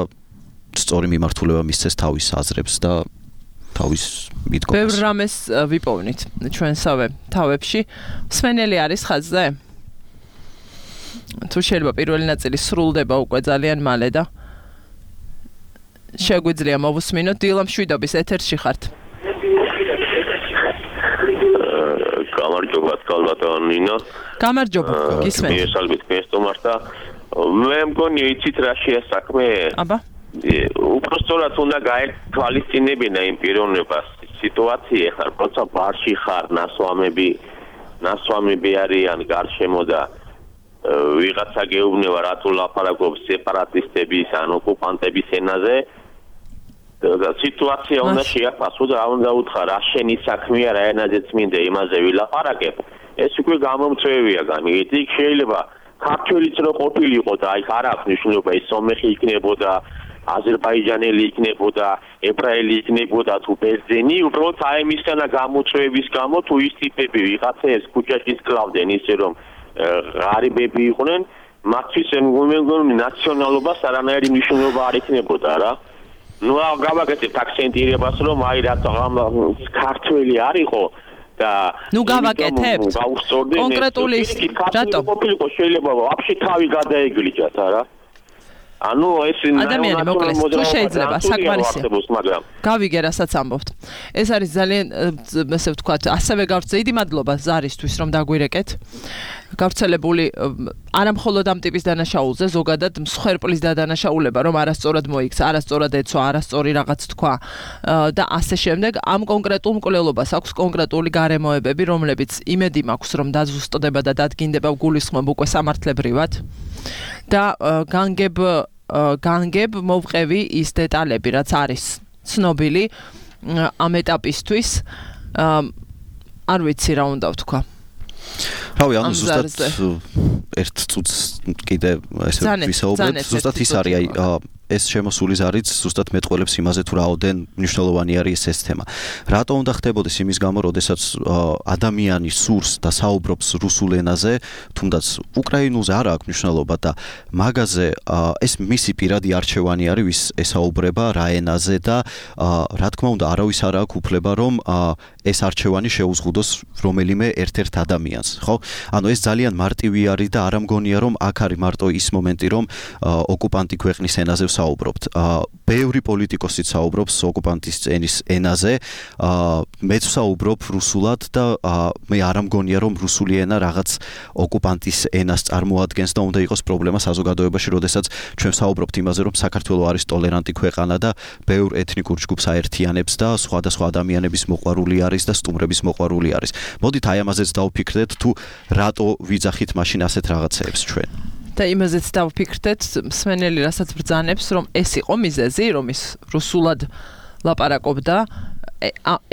სწორი მიმართულება მისცეს თავის აზრებს და თავის მიდგომას. ბევრ რამეს ვიპოვნით ჩვენსავე თავებში. მსმენელი არის ხაზზე? თუ შეიძლება პირველი ნაწილი სრულდება უკვე ძალიან მალე და შეგვიძლია მოვუსმინოთ. დილა მშვიდობის ეთერში ხართ. გამარჯობა კალბატონ ნინო. გამარჯობა, გისმენთ. მიესალმით გესტომარს და მე მგონი იცით რა შეასაქმე? აბა. უბრალოდ უნდა გაეთვალისწინებინა იმ პიროვნებას სიტუაცია ხარ, როცა ბარში ხარ, ნასვამები არიან გარშემო და ვიღაცა გეუბნება რატო ლაპარაკობს სეპარატისტების ან ოკუპანტების ენაზე და სიტუაცია უნდა შეაფასო და უნდა უთხრა რა შენი საქმეა, რა ენაზეც მინდა იმაზე ვილაპარაკებ. ეს უკვე გამომწვევია გამიგეთ. იქ შეიძლება ქართველიც რო ყოფილიყო და აი არ აქვს მნიშვნელობა ის სომეხი იქნებოდა, აზერბაიჯანელი იქნებოდა, ებრაელი იქნებოდა თუ ბერძენი, უბრალოდ აი მისგანა გამოწვევების გამო თუ ის ტიპები ვიღაცას ქუჩაში კლავდნენ ისე რომ ღარიბები იყვნენ, მათთვის მეგონი ნაციონალობას არანაირი მნიშვნელობა არ იქნებოდა რა. ნუ გავაკეთებთ აქცენტირებას რომ აი რატო ქართველი არ იყო და ნუ გავაკეთებთ კონკრეტული რატომ ყოფილიყო შეიძლება ვაფშე თავი გადაეგლიჯათ არა ანუ ეს ადამიანი მოკლეს თუ შეიძლება საკმარისია გავიგე რასაც ამბობთ ეს არის ძალიან ესე ვთქვათ ასევე გავწე დიდი მადლობა ზარისთვის რომ დაგვირეკეთ გავრცელებული არა მხოლოდ ამ ტიპის დანაშაულზე ზოგადად მსხვერპლის დადანაშაულება რომ არასწორად მოიქცა არასწორად ეცვა არასწორი რაღაც თქვა და ასე შემდეგ ამ კონკრეტულ მკვლელობას აქვს კონკრეტული გარემოებები რომლებიც იმედი მაქვს რომ დაზუსტდება და დადგინდება გულისხმობ უკვე სამართლებრივად და განგებ მოვყევი ის დეტალები რაც არის ცნობილი ამ ეტაპისთვის არ ვიცი რა უნდა ვთქვა რავი ანუ ზუსტად ერთ წუთს კიდე ესე ვისაუბრეთ ზუსტად ის არის აი ეს შემოსულის არის ზუსტად მეტყველებს იმაზე თუ რაოდენ მნიშვნელოვანი არის ეს თემა. რატო უნდა ხდებოდეს იმის გამო, როდესაც ადამიანი სურს და საუბრობს რუსულ ენაზე, თუნდაც უკრაინულზე არ აქვს მნიშვნელობა და მაგაზე ეს მისი პირადი არჩევანი არის, ვის ესაუბრება რა ენაზე და რა თქმა უნდა არავის არ აქვს უფლება რომ ეს არჩევანი შეუზღუდოს რომელიმე ერთ-ერთ ადამიანს, ხო? ანუ ეს ძალიან მარტივი არის და არ ამგონია რომ აქ არის მარტო ის მომენტი რომ ოკუპანტი ქვეყნის ენაზე საუბრობთ. ბევრი პოლიტიკოსი საუბრობს ოკუპანტის ენის ენაზე. მეც საუბრობ რუსულად და მე არ ამგონია რომ რუსული ენა რაღაც ოკუპანტის ენას წარმოადგენს და უნდა იყოს პრობლემა საზოგადოებაში, როდესაც ჩვენ საუბრობთ იმაზე რომ საქართველო არის ტოლერანტი ქვეყანა და ბევრ ეთნიკურ ჯგუფს აერთიანებს და სხვადასხვა ადამიანების მოყვარული არის და სტუმრების მოყვარული არის. მოდით აი ამაზეც დავფიქრდეთ თუ რატო ვიძახით მაშინ ასეთ რაღაცეებს ჩვენ. და იმაზეც დავფიქრდეთ მსმენელი რასაც ბრძანებს რომ ეს იყო მიზეზი რომ ის რუსულად ლაპარაკობდა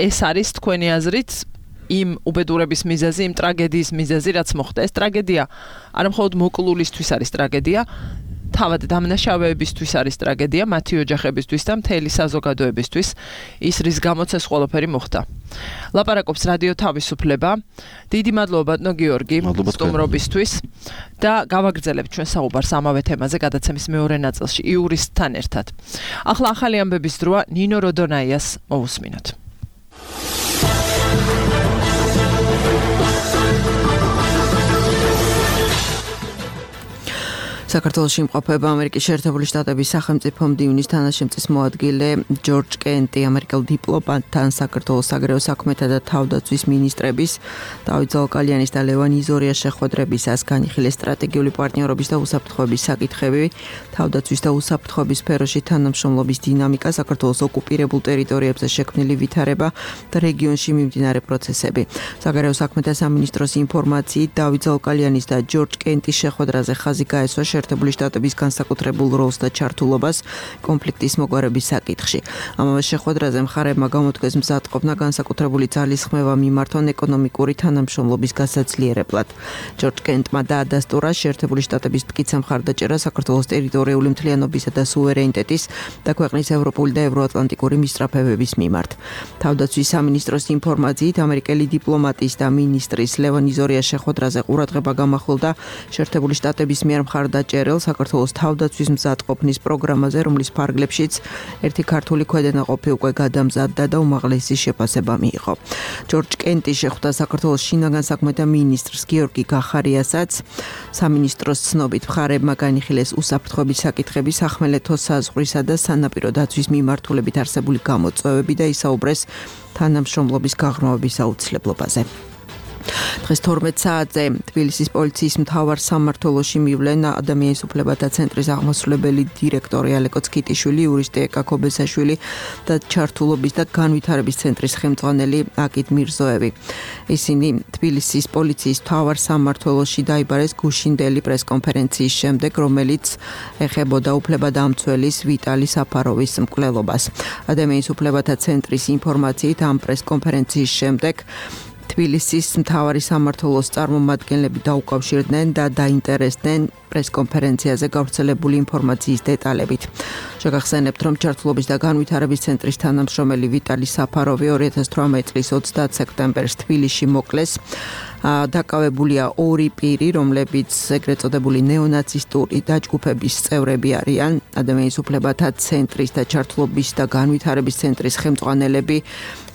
ეს არის თქვენი აზრით იმ უბედურების მიზეზი იმ ტრაგედიის მიზეზი რაც მოხდა ეს ტრაგედია არა მხოლოდ მოკლულისთვის არის ტრაგედია თავად დამნაშავეებისთვის არის ტრაგედია მათი ოჯახებისთვის და მთელი საზოგადოებისთვის ის რის გამოც ეს ყველაფერი მოხდა ლაპარაკობს რადიო თავისუფლება დიდი მადლობა ბატონო გიორგი სტუმრობისთვის და გავაგრძელებთ ჩვენ საუბარს ამავე თემაზე გადაცემის მეორე ნაწილში იურისტთან ერთად ახლა ახალი ამბების დროა ნინო როდონაიას მოусმინოთ საქართველოში იმყოფება ამერიკის შეერთებული შტატების სახელმწიფო მდივნის თანაშემწის მოადგილე ჯორჯ კენტი ამერიკელ დიპლომატთან საქართველოს საგარეო საქმეთა და თავდაცვის მინისტრების დავით ზოლკალიანის და ლევან იზორიას შეხვედრებისას განიხილეს სტრატეგიული პარტნიორობის და უსაფრთხოების საკითხები თავდაცვის და უსაფრთხოების სფეროში თანამშრომლობის დინამიკა საქართველოს ოკუპირებულ ტერიტორიებზე შექმნილი ვითარება და რეგიონში მიმდინარე პროცესები საგარეო საქმეთა სამინისტროს ინფორმაციით დავით ზოლკალიანის და ჯორჯ კენტის შეხვედრაზე ხაზი გაესვა შეერთებული შტატების განსაკუთრებულ როლს და ჩართულობას კონფლიქტის მოგვარების საკითხში. ამავე შეხვედრაზე მხარეებმა გამოთქვეს მზადყოფნა განსაკუთრებული ძალისხმევა მიმართონ ეკონომიკური თანამშრომლობის გასაძლიერებლად. ჯორჯ კენტმა დაადასტურა შეერთებული შტატების მტკიცე მხარდაჭერა საქართველოს ტერიტორიული მთლიანობისა და სუვერენიტეტის და ქვეყნის ევროპული და ევროატლანტიკური მისწრაფებების მიმართ. თავდაცვის სამინისტროს ინფორმაციით ამერიკელი დიპლომატის და მინისტრის ლევან იზორიას შეხვედრაზე ყურადღება გამახვილდა შეერთებული შტატების მიერ ჭერელ საქართველოს თავდაცვის მზადყოფნის პროგრამაზე, რომლის ფარგლებშიც ერთი ქართული ქვედანაყოფი უკვე გადამზადდა და უმაღლესი შეფასება მიიღო. ჯორჯ კენტი შეხვდა საქართველოს შინაგან საქმეთა მინისტრს გიორგი გახარიასაც. სამინისტროს ცნობით მხარეებმა განიხილეს უსაფრთხოების საკითხები, სახმელეთო საზღვრისა და სანაპირო დაცვის მიმართულებით არსებული გამოწვევები და ისაუბრეს თანამშრომლობის გაღრმავების აუცილებლობაზე. დღეს 12 საათზე თბილისის პოლიციის მთავარ სამმართველოში მივლენ ადამიანის უფლებათა ცენტრის აღმასრულებელი დირექტორი ალეკო ცკიტიშვილი, იურისტი ეკა ქობესაშვილი და ჩართულობის და განვითარების ცენტრის ხელმძღვანელი აკიდ მირზოევი. ისინი თბილისის პოლიციის მთავარ სამმართველოში დაიბარეს გუშინდელი პრესკონფერენციის შემდეგ, რომელიც ეხებოდა უფლებადამცველის ვიტალი საფაროვის მკვლელობას. ადამიანის უფლებათა ცენტრის ინფორმაციით ამ პრესკონფერენციის შემდეგ თბილისის მთავარი სამმართველოს წარმომადგენლები დაუკავშირდნენ და დაინტერესდნენ პრესკონფერენციაზე გავრცელებული ინფორმაციის დეტალებით. შეგახსენებთ, რომ ჩართულობის და განვითარების ცენტრის თანამშრომელი ვიტალი საფაროვი 2018 წლის 30 სექტემბერს თბილისში მოკლეს. დაკავებულია ორი პირი, რომლებიც ეგრეთ წოდებული ნეონაცისტური დაჯგუფების წევრები არიან. ადამიანის უფლებათა ცენტრის და ჩართულობის და განვითარების ცენტრის ხელმძღვანელები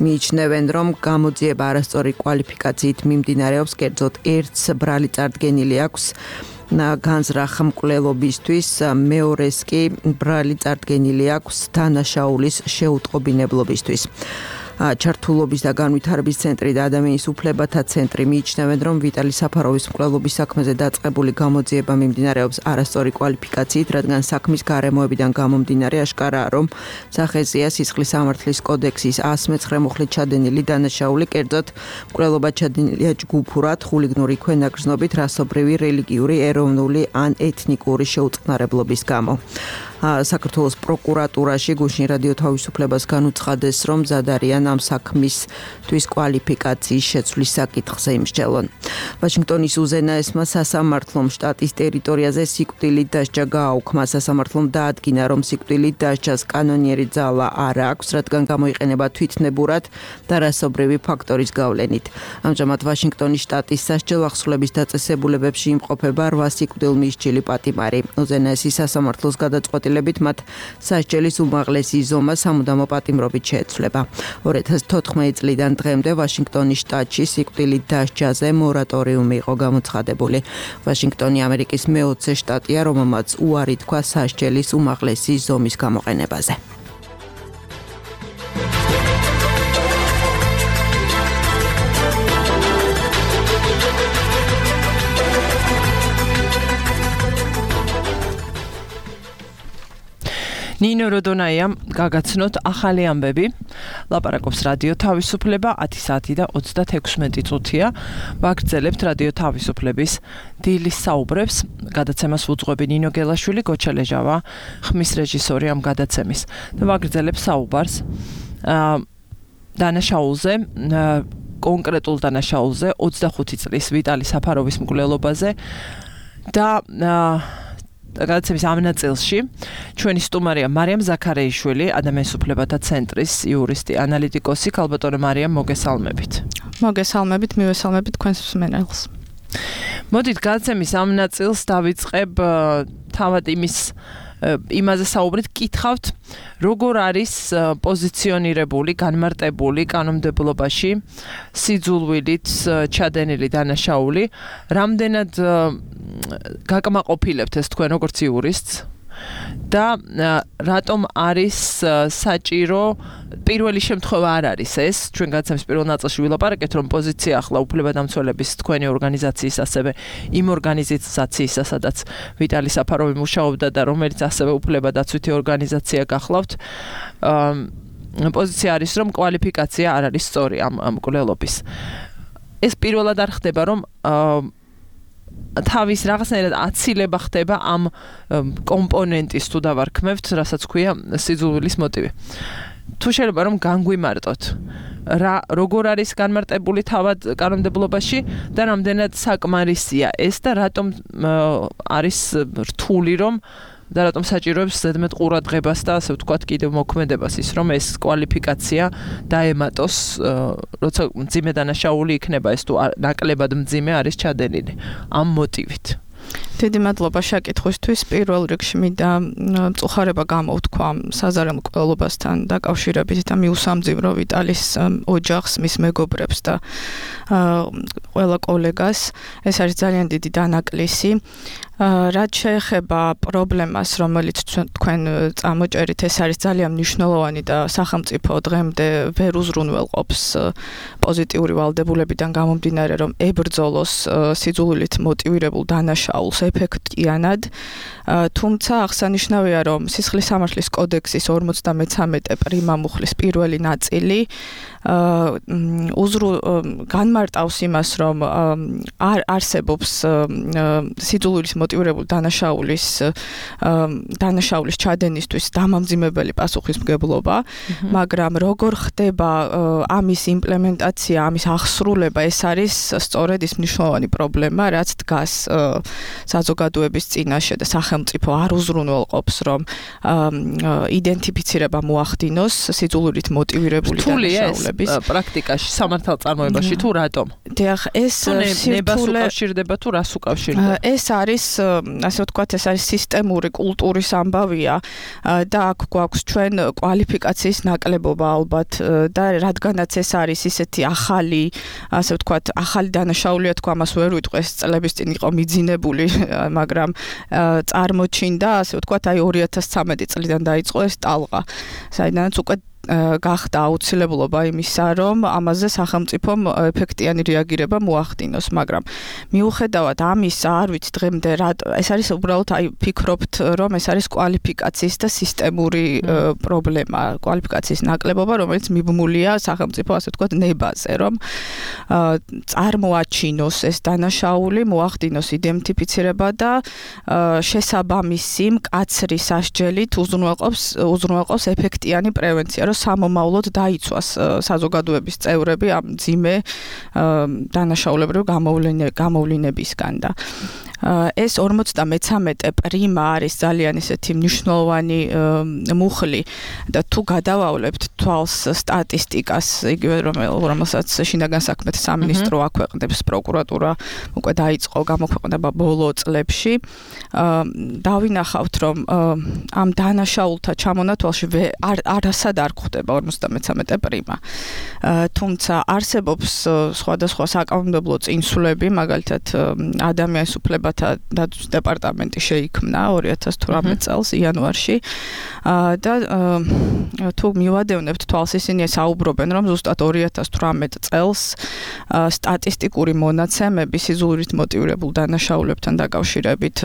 მიიჩნევენ, რომ გამოძიება არასწორი კვალიფიკაციით მიმდინარეობს, კერძოდ ერთს ბრალი წარდგენილი აქვს განზრახ მკვლელობისთვის, მეორეს კი ბრალი წარდგენილი აქვს დანაშაულის შეუტყობინებლობისთვის. ჩართულობის და განვითარების ცენტრი და ადამიანის უფლებათა ცენტრი მიიჩნევენ, რომ ვიტალი საფაროვის მკვლელობის საქმეზე დაწყებული გამოძიება მიმდინარეობს არასწორი კვალიფიკაციით, რადგან საქმის გარემოებიდან გამომდინარე აშკარაა, რომ სახეზეა სისხლის სამართლის კოდექსის 119 მუხლით ჩადენილი დანაშაული, კერძოდ მკვლელობა ჩადენილია ჯგუფურად, ხულიგნური ქვენაგრძნობით, რასობრივი, რელიგიური, ეროვნული ან ეთნიკური შეუწყნარებლობის გამო. საქართველოს პროკურატურაში გუშინ რადიო თავისუფლებას განუცხადეს, რომ მზად არიან ამ საქმისთვის კვალიფიკაციის შეცვლის საკითხზე იმსჯელონ. ვაშინგტონის უზენაესმა სასამართლომ შტატის ტერიტორიაზე სიკვდილით დასჯა გააუქმა. სასამართლომ დაადგინა, რომ სიკვდილით დასჯას კანონიერი ძალა არ აქვს, რადგან გამოიყენება თვითნებურად და რასობრივი ფაქტორის გავლენით. ამჟამად ვაშინგტონის შტატის სასჯელ ახსულების დაწესებულებებში იმყოფება 8 სიკვდილმისჯილი პატიმარი. უზენაესი სასამართლოს გადაწყვეტილებით მათ სასჯელის უმაღლესი ზომა სამუდამო პატიმრობით შეეცვლება. 2014 წლიდან დღემდე ვაშინგტონის შტატში სიკვდილით დასჯაზე მორატორიუმი იყო გამოცხადებული. ვაშინგტონი ამერიკის მე-20 შტატია, რომელმაც უარი თქვა სასჯელის უმაღლესი ზომის გამოყენებაზე. ნინო როდონაიამ გაგაცნოთ ახალი ამბები. ლაპარაკობს რადიო თავისუფლება 10 საათი და 36 წუთია. ვაგრძელებთ რადიო თავისუფლების დილის საუბრებს. გადაცემას უძღვები ნინო გელაშვილი, გოჩა ლეჟავა, ხმის რეჟისორი ამ გადაცემის. და ვაგრძელებ საუბარს დანაშაულზე, კონკრეტულ დანაშაულზე 25 წლის ვიტალი საფაროვის მკვლელობაზე და გადაცემის ამ ნაწილში ჩვენი სტუმარია მარიამ ზაქარეიშვილი, ადამიანის უფლებათა ცენტრის იურისტი, ანალიტიკოსი. ქალბატონო მარიამ, მოგესალმებით. მოგესალმებით, მივესალმებით თქვენს მსმენელს. მოდით გადაცემის ამ ნაწილს დავიწყებ თავად იმაზე საუბრით, კითხავთ, როგორ არის პოზიციონირებული, განმარტებული კანონმდებლობაში სიძულვილით ჩადენილი დანაშაული, რამდენად გაკმაყოფილებთ ეს თქვენ როგორც იურისტს და რატომ არის საჭირო პირველი შემთხვევა არ არის ეს ჩვენ გადაცემის პირველ ნაწილში ვილაპარაკეთ რომ პოზიცია ახლა უფლებადამცველების თქვენი ორგანიზაციის ასევე იმ ორგანიზაციისა სადაც ვიტალი საფაროვი მუშაობდა და რომელიც ასევე უფლებადაცვითი ორგანიზაცია გახლავთ პოზიცია არის რომ კვალიფიკაცია არ არის სწორი ამ მკვლელობის ეს პირველად არ ხდება რომ თავის რაღაცნაირად აცილება ხდება ამ კომპონენტის თუ დავარქმევთ, რასაც ქვია სიძულვილის მოტივი. თუ შეიძლება რომ განგვიმარტოთ, როგორ არის განმარტებული თავად კანონმდებლობაში და რამდენად საკმარისია ეს და რატომ არის რთული რომ და რატომ საჭიროებს ზედმეტ ყურადღებას და ასე ვთქვათ კიდევ მოქმედებას ის რომ ეს კვალიფიკაცია დაემატოს როცა მძიმე დანაშაული იქნება ეს თუ ნაკლებად მძიმე არის ჩადენილი ამ მოტივით დიდი მადლობა შეკითხვისთვის. პირველ რიგში მინდა მწუხარება გამოვთქვა საზარელ მკვლელობასთან დაკავშირებით და მიუსამძიმრო ვიტალის ოჯახს, მის მეგობრებს და ყველა კოლეგას. ეს არის ძალიან დიდი დანაკლისი. რაც შეეხება პრობლემას, რომელიც თქვენ წამოჭერით, ეს არის ძალიან მნიშვნელოვანი და სახელმწიფო დღემდე ვერ უზრუნველყოფს პოზიტიური ვალდებულებიდან გამომდინარე, რომ ებრძოლოს სიძულვილით მოტივირებულ დანაშაულს ეფექტიანად. თუმცა აღსანიშნავია, რომ სისხლის სამართლის კოდექსის 53 პრიმა მუხლის პირველი ნაწილი განმარტავს იმას, რომ არ არსებობს სიძულვილით მოტივირებულ დანაშაულის ჩადენისთვის დამამძიმებელი პასუხისმგებლობა, მაგრამ როგორ ხდება ამის იმპლემენტაცია, ამის აღსრულება, ეს არის სწორედ ის მნიშვნელოვანი პრობლემა, რაც დგას საზოგადოების წინაშე და სახელმწიფო არ უზრუნველყოფს, რომ იდენტიფიცირება მოახდინოს სიძულვილით მოტივირებული დანაშაულების პრაქტიკაში, სამართალწარმოებაში თუ რატომ? დიახ, ეს ნებას უკავშირდება თუ რას უკავშირდება? ეს არის, ასე ვთქვათ, ეს არის სისტემური კულტურის ამბავია და აქ გვაქვს ჩვენ კვალიფიკაციის ნაკლებობა ალბათ და რადგანაც ეს არის ისეთი ახალი, ასე ვთქვათ, ახალი დანაშაულია, თქვა ამას ვერ ვიტყვი, ეს წლების წინ იყო მიძინებული, მაგრამ წარმოჩინდა, ასე ვთქვათ, აი 2013 წლიდან დაიწყო ეს ტალღა, საიდანაც უკვე გახდა აუცილებლობა იმისა, რომ ამაზე სახელმწიფომ ეფექტიანი რეაგირება მოახდინოს, მაგრამ მიუხედავად ამისა, არ ვიცი დღემდე რა, ეს არის უბრალოდ აი ფიქრობთ, რომ ეს არის კვალიფიკაციის და სისტემური პრობლემა, კვალიფიკაციის ნაკლებობა, რომელიც მიბმულია სახელმწიფო, ასე ვთქვათ, ნებაზე, რომ წარმოაჩინოს ეს დანაშაული, მოახდინოს იდენტიფიცირება და შესაბამისი მკაცრი სასჯელით უზრუნველყოფს ეფექტიანი პრევენცია, რომ სამომავლოდ დაიცვას საზოგადოების წევრები ამ მძიმე დანაშაულებრივ გამოვლინებისგან და ეს 53 პრიმა არის ძალიან ისეთი მნიშვნელოვანი მუხლი და თუ გადავავლებთ თვალს სტატისტიკას, იგივე რომელსაც შინაგან საქმეთა სამინისტრო აქვეყნებს, პროკურატურა უკვე დაიწყო გამოქვეყნება ბოლო წლებში, დავინახავთ, რომ ამ დანაშაულთა ჩამონათვალში არასად არ გვხდება 53 პრიმა. თუმცა არსებობს სხვადასხვა საკანონმდებლო წინსვლები, მაგალითად ადამიანის უფლებათა დაცვის დეპარტამენტი შეიქმნა 2018 წელს იანვარში და თუ მივადევნებთ თვალს, ისინი საუბრობენ, რომ ზუსტად 2018 წელს სტატისტიკური მონაცემები სიძულვილით მოტივირებულ დანაშაულებთან დაკავშირებით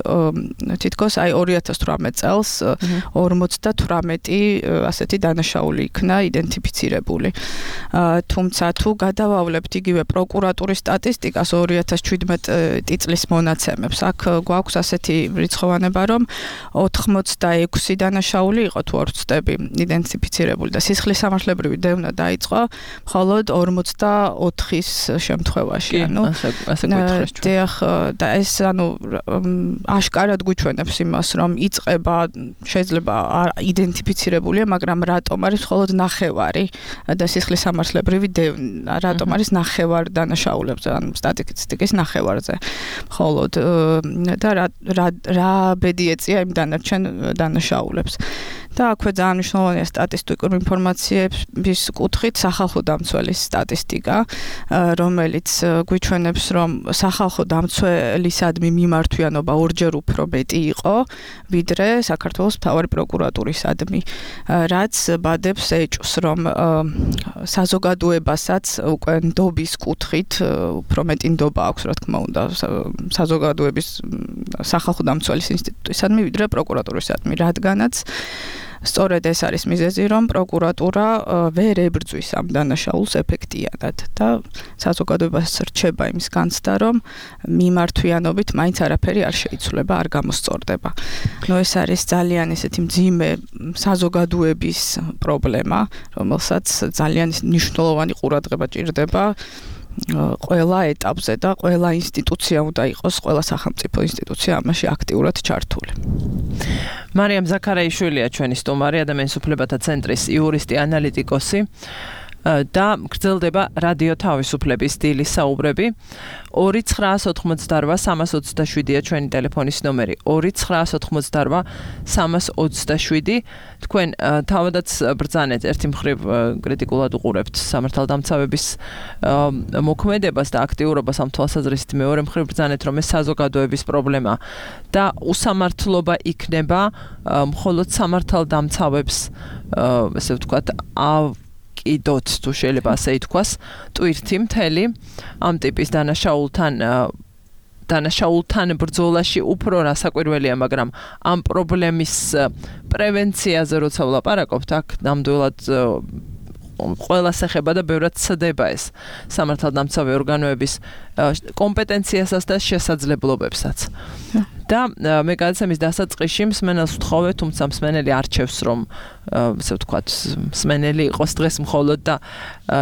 თითქოს აი 2018 წელს 58 ასეთი დანაშაული იქნა იდენტიფიცირებული. თუმცა თუ გადავავლებთ იგივე პროკურატურის სტატისტიკას 2017 წლის მონაცემებს, აქ გვაქვს ასეთი რიცხოვანება, რომ 86 დანაშაული იყო თუ არ ვცდები იდენტიფიცირებული და სისხლის სამართლებრივი დევნა დაიწყო მხოლოდ 44-ის შემთხვევაში. ასე გითხრეს ჩვენ. დიახ, და ეს აშკარად გვიჩვენებს იმას, რომ იწყება შეიძლება იდენტიფიცირებულია, მაგრამ რატომ არის მხოლოდ ნახევარი და სისხლის სამართლებრივი დევნა, რატომ არის ნახევარ დანაშაულებზე, ანუ სტატისტიკის ნახევარზე მხოლოდ და რა ბედი ეწია იმ დანარჩენ დანაშაულებს. და აქვე ძალიან მნიშვნელოვანია სტატისტიკური ინფორმაციების კუთხით სახალხო დამცველის სტატისტიკა, რომელიც გვიჩვენებს, რომ სახალხო დამცველისადმი მიმართვიანობა ორჯერ უფრო მეტი იყო, ვიდრე საქართველოს მთავარი პროკურატურისადმი, რაც ბადებს ეჭვს, რომ საზოგადოებასაც უკვე ნდობის კუთხით უფრო მეტი ნდობა აქვს, რა თქმა უნდა, საზოგადოების სახალხო დამცველის ინსტიტუტისადმი, ვიდრე პროკურატურისადმი, რადგანაც სწორედ ეს არის მიზეზი, რომ პროკურატურა ვერ ებრძვის ამ დანაშაულს ეფექტიანად და საზოგადოებას რჩება იმის განცდა, რომ მიმართვიანობით მაინც არაფერი არ შეიცვლება, არ გამოსწორდება. ეს არის ძალიან ესეთი მძიმე საზოგადოების პრობლემა, რომელსაც ძალიან მნიშვნელოვანი ყურადღება ჭირდება ყველა ეტაპზე და ყველა ინსტიტუცია უნდა იყოს, ყველა სახელმწიფო ინსტიტუცია ამაში აქტიურად ჩართული. მარიამ ზაქარაიშვილია ჩვენი სტუმარი, ადამიანის უფლებათა ცენტრის იურისტი, ანალიტიკოსი და გრძელდება რადიო თავისუფლების დილის საუბრები. 2988327-ია ჩვენი ტელეფონის ნომერი. 2988327. თქვენ თავადაც ბრძანეთ, ერთი მხრივ კრიტიკულად უყურებთ სამართალდამცავების მოქმედებას და აქტიურობას ამ თვალსაზრისით, მეორე მხრივ ბრძანეთ, რომ ეს საზოგადოების პრობლემა და უსამართლობა იქნება მხოლოდ სამართალდამცავებს, ესე ვთქვათ, კიდოთ თუ შეიძლება ასე ითქვას, ტვირთი მთელი ამ ტიპის დანაშაულთან ბრძოლაში უფრო რასაკვირველია, მაგრამ ამ პრობლემის პრევენციაზე როცა ვლაპარაკობთ, აქ ნამდვილად ყველას ეხება და ბევრად ცდება ეს სამართალდამცავი ორგანოების კომპეტენციასაც და შესაძლებლობებსაც. და მე გადაცემის დასაწყისში მსმენელს ვთხოვე, თუმცა მსმენელი არჩევს, რომ ასე ვთქვათ, მსმენელი იყოს დღეს მხოლოდ და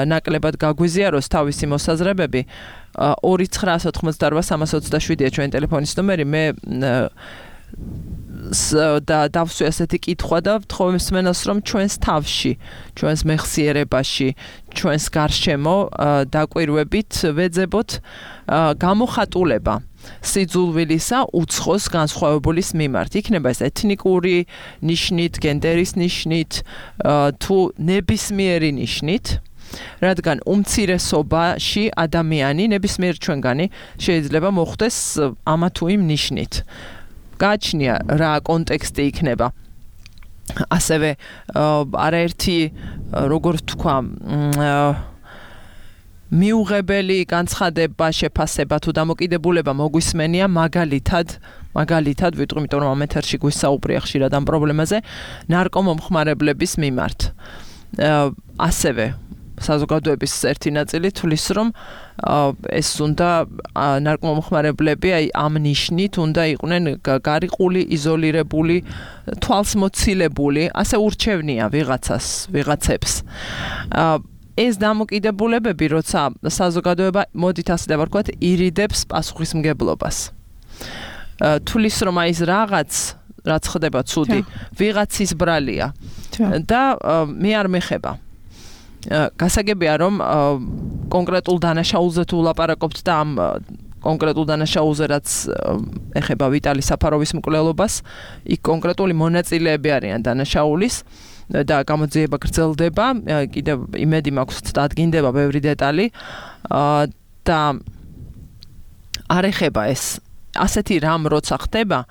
ნაკლებად გაგვიზიაროს თავისი მოსაზრებები. 2988327-ია ჩვენი ტელეფონის ნომერი. მე და დავსვი ასეთი კითხვა და ვთხოვე მსმენელს, რომ ჩვენს თავში, ჩვენს მეხსიერებაში, ჩვენს გარშემო დაკვირვებით ვეძებოთ გამოხატულება სიძულვილისა უცხოს განსხვავებულის მიმართ. იქნება ეს ეთნიკური ნიშნით, გენდერის ნიშნით, თუ ნებისმიერი ნიშნით. რადგან უმცირესობაში ადამიანი ნებისმიერ ჩვენგანი შეიძლება მოხვდეს ამა თუ იმ ნიშნით. გააჩნია რა კონტექსტი იქნება. ასევე არაერთი როგორ ვთქვა მიუღებელი განცხადება, შეფასება თუ დამოკიდებულება მოგვისმენია მაგალითად ვიტყვი, იმიტომ რომ ამ ეთერში გვისაუბრია ხშირად ამ პრობლემაზე, ნარკომომხმარებლების მიმართ. ასევე საზოგადოების ერთი ნაწილი თulis რომ ეს უნდა ნარკომომხმარებლები აი ამ ნიშნით უნდა იყვნენ გარიყული, იზოლირებული, თვალსმოცილებული, ასე ურჩევნია ვიღაცებს. ეს დამოკიდებულებები, როცა საზოგადოება მოდით ასე დავარქვათ, ირიდებს პასუხისმგებლობას. თulis რომ აი ეს რაც ხდება ცუდი, ვიღაცის ბრალია და მე არ მეხება. გასაგებია რომ კონკრეტულ დანაშაულზე თუ ვლაპარაკობთ და ამ კონკრეტულ დანაშაულზე რაც ეხება ვიტალი საფაროვის მკვლელობას, იქ კონკრეტული მონაწილეები არიან დანაშაულის და გამოძიება გრძელდება, კიდევ იმედი მაქვს დადგინდება ბევრი დეტალი და არ ეხება ეს ასეთი რამ როცა ხდება,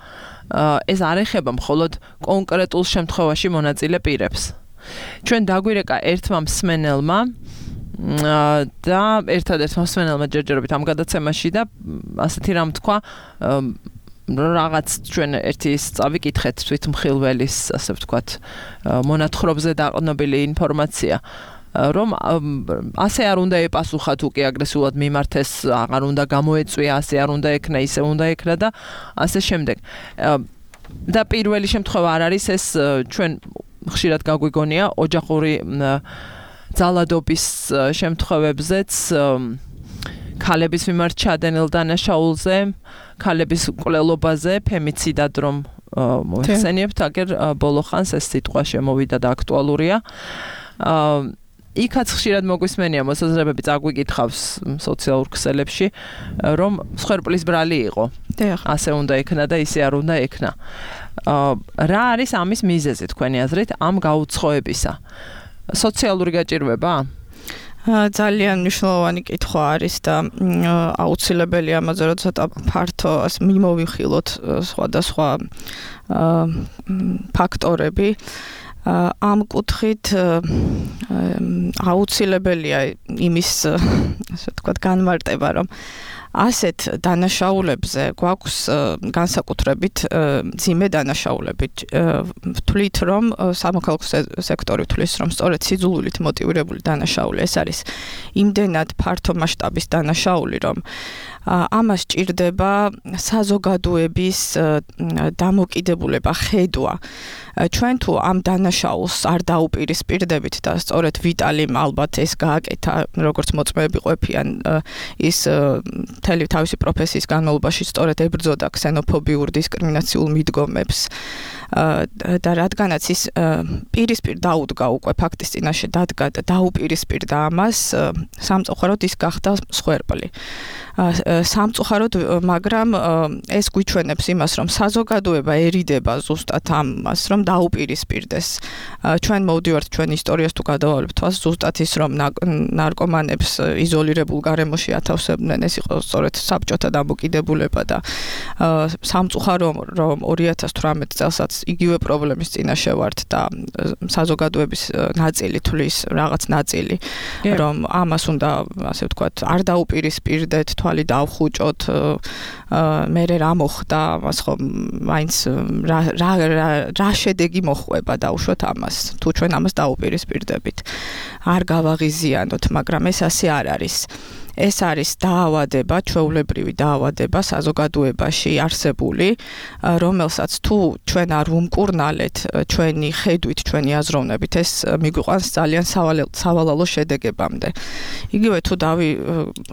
ეს არ ეხება მხოლოდ კონკრეტულ შემთხვევაში მონაწილე პირებს. ჩვენ დაგვირეკა ერთმა მსმენელმა და ერთადერთმა მსმენელმა ჯერჯერობით ამ გადაცემაში და ასეთი რამ თქვა, რაღაც ჩვენ ერთი წავიკითხეთ თვითმხილველის, ასე ვთქვათ, მონათხრობზე დაყრდნობილი ინფორმაცია, რომ ასე არ უნდა ეპასუხა თუ კი აგრესიულად მიმართეს, აღარ უნდა გამოეწვია, ასე არ უნდა ექნა, ისე უნდა ექნა და ასე შემდეგ. და პირველი შემთხვევა არ არის ეს ჩვენ ხშირად გაგვიგონია ოჯახური ძალადობის შემთხვევებზეც, ქალების მიმართ ჩადენილ დანაშაულზე, ქალების მკვლელობაზე, ფემიციდად რომ მოიხსენიებთ, აგერ ბოლო ხანს ეს სიტყვა შემოვიდა და აქტუალურია. იქაც ხშირად მოგვისმენია მოსაზრებები წაგვიკითხავს სოციალურ ქსელებში, რომ მსხვერპლის ბრალი იყო. ასე უნდა ექნა და ისე არ უნდა ექნა. რა არის ამის მიზეზი თქვენი აზრით ამ გაუცხოებისა? სოციალური გაჭირვება? ძალიან მნიშვნელოვანი კითხვა არის და აუცილებელი ამაზე რომ ცოტა ფართო მიმოვიხილოთ სხვადასხვა ფაქტორები. ამ კუთხით აუცილებელია იმის, ასე ვთქვათ, განმარტება, რომ ასეთ დანაშაულებზე გვაქვს განსაკუთრებით ძიმე დანაშაულები. ვთვლით, რომ სამოქალაქო სექტორი ვთვლის, რომ სწორედ სიძულვილით მოტივირებული დანაშაული ეს არის იმდენად ფართო მასშტაბის დანაშაული, რომ ამას ჭირდება საზოგადოების დამოკიდებულება, ხედვა. ჩვენ თუ ამ დანაშაულს არ დაუპირისპირდებით და სწორედ ვიტალიმ ალბათ ეს გააკეთა, როგორც მოწმეები ყოფიან, ის მთელი თავისი პროფესიის განმავლობაში სწორედ ებრძოდა ქსენოფობიურ დისკრიმინაციულ მიდგომებს და რადგანაც ის პირისპირ დაუდგა უკვე ფაქტის წინაშე დადგა და დაუპირისპირდა ამას, სამწუხაროდ ის გახდა მსხვერპლი. სამწუხაროდ, მაგრამ ეს გვიჩვენებს იმას, რომ საზოგადოება ერიდება ზუსტად ამას, რომ დაუპირისპირდეს. ჩვენ მოვდივართ ჩვენ ისტორიას თუ გადავალებთ თვალს, ზუსტად ის, რომ ნარკომანებს იზოლირებულ გარემოში ათავსებდნენ, ეს იყო სწორედ საბჭოთა დამოკიდებულება და სამწუხარო, რომ 2018 წელსაც იგივე პრობლემის წინაშე ვართ და საზოგადოების ნაწილი თulis რაღაც ნაწილი, რომ ამას უნდა, ასე ვთქვათ, არ დაუპირისპირდეთ, თვალი დავხუჭოთ, მერე რა მოხდა, მას ხომ მაინც რა შედეგი მოხვება დაუშვათ ამას, თუ ჩვენ ამას დაუპირისპირდებით. არ გავაღიზიანოთ, მაგრამ ეს ასე არ არის. ეს არის დაავადება, ჩვეულებრივი დაავადება საზოგადოებაში არსებული, რომელსაც თუ ჩვენ არ ვუმკურნალეთ ჩვენი ხედვით, ჩვენი აზროვნებით, ეს მიგვიყვანს ძალიან სავალალო შედეგებამდე. იგივე თუ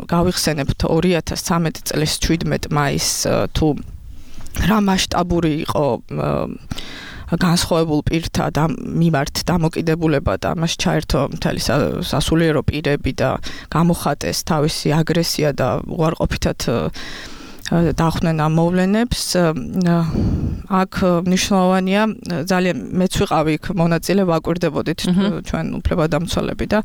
გავიხსენებთ 2013 წლის 17 მაისს თუ რა მასშტაბური იყო განსხვავებულ პირთა მიმართ დამოკიდებულება და მას ჩაერთო მთელი სასულიერო პირები და გამოხატეს თავისი აგრესია და უარყოფითად დახვდნენ ამ მოვლენებს. აქ მნიშვნელოვანია ძალიან მეც ვიყავი იქ მონაწილე ვაკვირდებოდით ჩვენ უფლებადამცველები და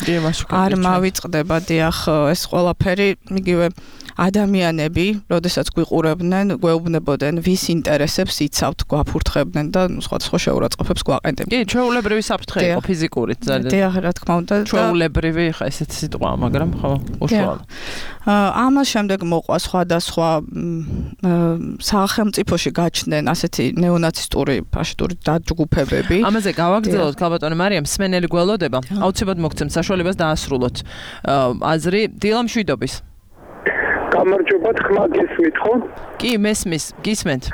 არ მავიწყდება დიახ ეს ყველაფერი იგივე ადამიანები, როდესაც გვიყურებდნენ, გვეუბნებოდნენ, ვის ინტერესებს იცავთ, გვაფურთხებდნენ და სხვადასხვა შეურაცხყოფებს გვაყენდებდნენ. კი, ჩვეულებრივი საფრთხე იყო ფიზიკური ძალიან. დიახ, რა თქმა უნდა. ჩვეულებრივი ხა ესეთი სიტყვაა, მაგრამ ხო, უშუალო. ამას შემდეგ მოყვა სხვადასხვა სახელმწიფოში გაჩნდნენ ასეთი ნეონაცისტური ფაშისტური დაჯგუფებები. ამაზე გავაგრძელოთ, ქალბატონი მარიამ, მსმენელი გველოდება. აუცილებლად მოგცემთ საშუალებას დაასრულოთ აზრი დილა მშვიდობის. გამარჯობა, ხმა გესმით ხო? კი, მესმის, გისმენთ.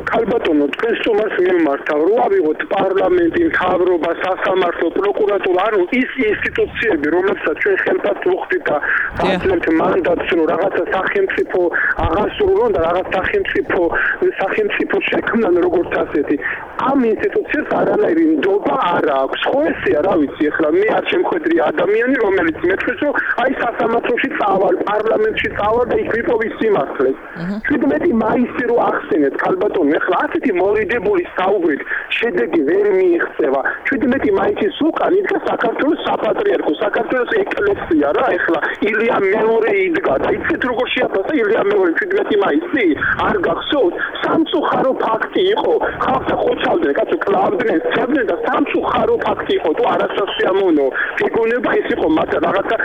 ქალბატონო, თქვენ სტუმარს მიმართავ, რო ავიღოთ პარლამენტი, მთავრობა, სასამართლო, პროკურატურა, ანუ ის ინსტიტუციები, რომლებსაც ჩვენ ხელფასს ვუხდით და ვაძლევთ მანდატს, რომ რაღაცა სახელმწიფო აღასრულონ და რაღაც სახელმწიფო შექმნან როგორც ასეთი. ამ ინსტიტუციებს არანაირი ნდობა არ აქვს. ხო ესეა, რა ვიცი, ახლა მე არ შემხედრი ადამიანი, რომელიც მეცეს, რომ აი სასამართლოში წავალ, პარლამენტში წავალ და იქ ვიპოვი სიმართლეს. 17 მაისი რო ახსენეთ, ქალბატონო, ახლა ასეთი მოლიდებული საუბრით შედეგი ვერ მიიღწევა. 17 მაისის უკან იდგა საქართველოს საპატრიარქო, საქართველოს ეკლესია რა, ახლა ილია მეორე იდგა და იცით როგორ შეაფასა ილია მეორე 17 მაისი? არ გახსოვთ? სამწუხარო ფაქტი იყო. ხალხს ხოცავდნენ, კაცო კლავდნენ, ცებდნენ და სამწუხარო ფაქტი იყო. თუ არასასიამოვნო ფიგურება ის იყო, მაგრამ რაღაცა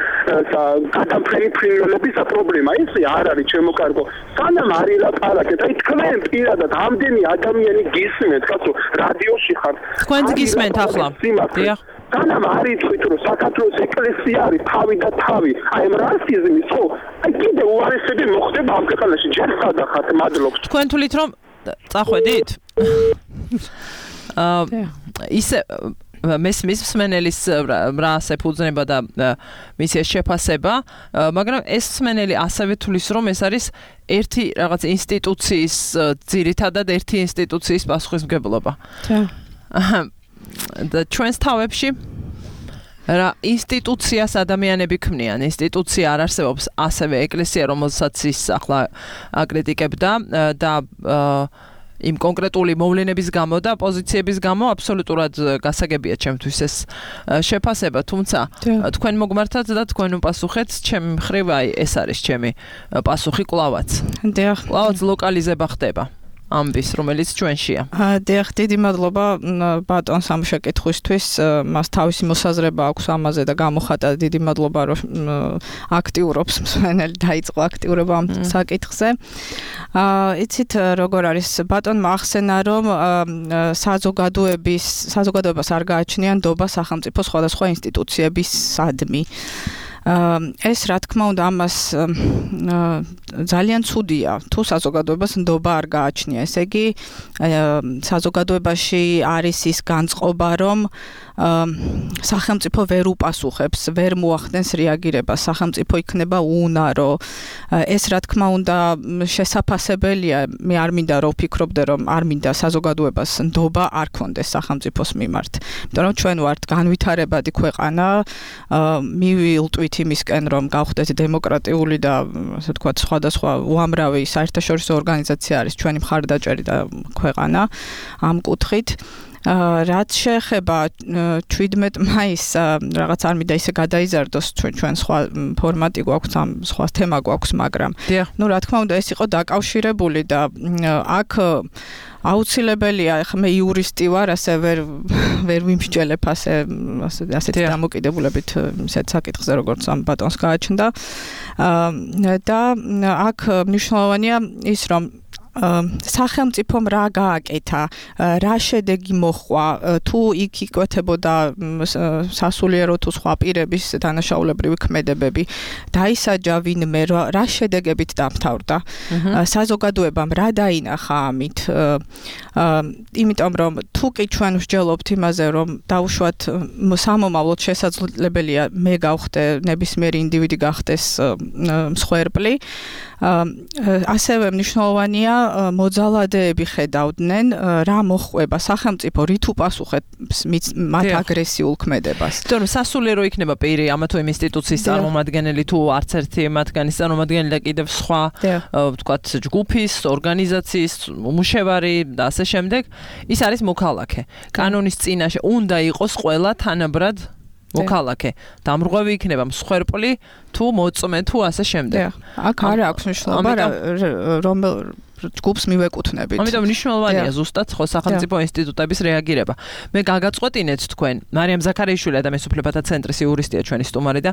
გადამფრენი ფრინველების პრობლემა. ისე არ არის ჩემო კარგო. სანამ არ ილაპარაკეთ, აი თქვენ პირადად ამდენი ადამიანი გისმენთ, კაცო, რადიოში ხართ. თქვენც გისმენთ ახლა. დიახ. სანამ არ იცით, რომ საქართველოს ეკლესია არის თავი და თავი, აი ამ რასიზმის ხო? აი კიდე უარესები მოხდება ამ ქვეყანაში, ჯერ სადახართ, მადლობთ. თქვენ თვლით რომ წახვედით? ისე მესმის მსმენელის რა საფუძნება და მისი შეფასება, მაგრამ ეს მსმენელი ასევე თulis რომ ეს არის ერთი რაღაც ინსტიტუციის ძირითადად ერთი ინსტიტუციის პასუხისმგებლობა. და ჩვენს თავებში რა ინსტიტუციას ადამიანები ქმნიან, ინსტიტუცია არ არსებობს ასევე ეკლესია, რომელსაც ის ახლა აკრიტიკებდა და იმ კონკრეტული მოვლენების გამო და პოზიციების გამო აბსოლუტურად გასაგებია ჩემთვის ეს შეფასება, თუმცა თქვენ მოგმართათ და თქვენ უპასუხეთ, ჩემი მხრივ აი ეს არის ჩემი პასუხი კლავაც. კლავაც ლოკალიზება ხდება ამბის, რომელიც ჩვენშია. დიახ, დიდი მადლობა ბატონს ამ შეკითხვისთვის. მას თავისი მოსაზრება აქვს ამაზე და გამოხატა. დიდი მადლობა, რომ აქტიურობს მსმენელი, დაიწყო აქტიურობა ამ საკითხზე. იცით, როგორ არის, ბატონმა ახსენა, რომ საზოგადოებას არ გააჩნია ნდობა სახელმწიფო სხვადასხვა ინსტიტუციებისადმი. ეს რა თქმა უნდა ამას ძალიან ცუდია თუ საზოგადოებას ნდობა არ გააჩნია. ესე იგი საზოგადოებაში არის ის განწყობა, რომ სახელმწიფო ვერ უპასუხებს, ვერ მოახდენს რეაგირებას, სახელმწიფო იქნება უუნარო. ეს რა თქმა უნდა შესაძლებელია, მე არ მინდა რომ ვფიქრობდე, რომ არ მინდა საზოგადოებას ნდობა არ ქონდეს სახელმწიფოს მიმართ. იმიტომ რომ ჩვენ ვართ განვითარებადი ქვეყანა, მივილტვით იმისკენ, რომ გავხდეთ დემოკრატიული და ასე ვთქვათ, სხვადასხვა უამრავი საერთაშორისო ორგანიზაცია არის ჩვენი მხარდაჭერი და ქვეყანა ამ კუთხით. რაც შეეხება 17 მაისს, რაღაც არ მინდა ისე გადაიზარდოს, ჩვენ სხვა ფორმატი გვაქვს, ამ სხვა თემა გვაქვს, მაგრამ ნუ რა თქმა უნდა ეს იყო დაკავშირებული და აქ აუცილებელია, ახლა მე იურისტი ვარ, ასე ვერ ვიმსჯელებ ასეთი დამოკიდებულებით ისეთ საკითხზე, როგორც ამ ბატონს გააჩნდა. და აქ მნიშვნელოვანია ის, რომ სახელმწიფომ რა გააკეთა, რა შედეგი მოჰყვა, თუ იქ იკვეთებოდა სასულიერო თუ სხვა პირების დანაშაულებრივი ქმედებები, დაისაჯა ვინმე, რა შედეგებით დამთავრდა. საზოგადოებამ რა დაინახა ამით. იმიტომ რომ თუ კი ჩვენ ვსჯელობთ იმაზე, რომ დაუშვათ სამომავლოდ შესაძლებელია მე გავხდე ნებისმიერი ინდივიდი გახდეს მსხვერპლი, ასევე მნიშვნელოვანია მოძალადეები ხედავდნენ რა მოხდება სახელმწიფო რით უპასუხებს მათ აგრესიულ ქმედებას. თორემ სასულიერო იქნება პირი ამა თუ იმ ინსტიტუციის წარმომადგენელი თუ არც ერთი მათგანის წარმომადგენელი და კიდევ სხვა ვთქვათ ჯგუფის, ორგანიზაციის მუშევარი და ასე შემდეგ, ის არის მოქალაქე. კანონის წინაშე უნდა იყოს ყველა თანაბრად მოქალაქე. დამრღვევი იქნება მსხვერპლი თუ მოწმე თუ ასე შემდეგ. აქ არ აქვს მნიშვნელობა რომელ ჯგუფს მივეკუთვნებით. ამიტომ მნიშვნელოვანია ზუსტად ხო სახელმწიფო ინსტიტუტების რეაგირება. მე გაგაწყვეტინეთ თქვენ, მარიამ ზაქარიაშვილი ადამიანის უფლებათა ცენტრის იურისტია ჩვენი სტუმარი და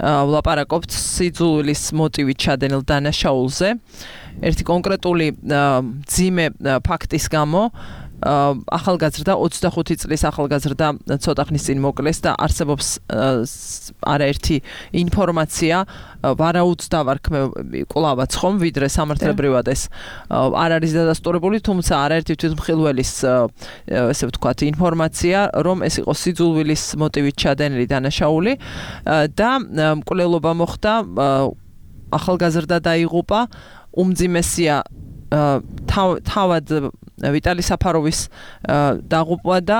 ვლაპარაკობთ სიძულვილის მოტივით ჩადენილ დანაშაულზე. ერთი კონკრეტული მძიმე ფაქტის გამო ახალგაზრდა 25 წლის ახალგაზრდა ცოტა ხნის წინ მოკლეს და არსებობს არაერთი ინფორმაცია ვარაუდსდავარ კვლავაც ხომ ვიდრე სამართლებრივად ეს არ არის დადასტურებული, თუმცა არაერთი თვითმხილველის ესე ვთქვათ ინფორმაცია, რომ ეს იყო სიძულვილის მოტივით ჩადენილი დანაშაული და მკვლელობა მოხდა, ახალგაზრდა დაიღუპა, უმძიმესია თავად ვიტალი საფაროვის დაღუპვა და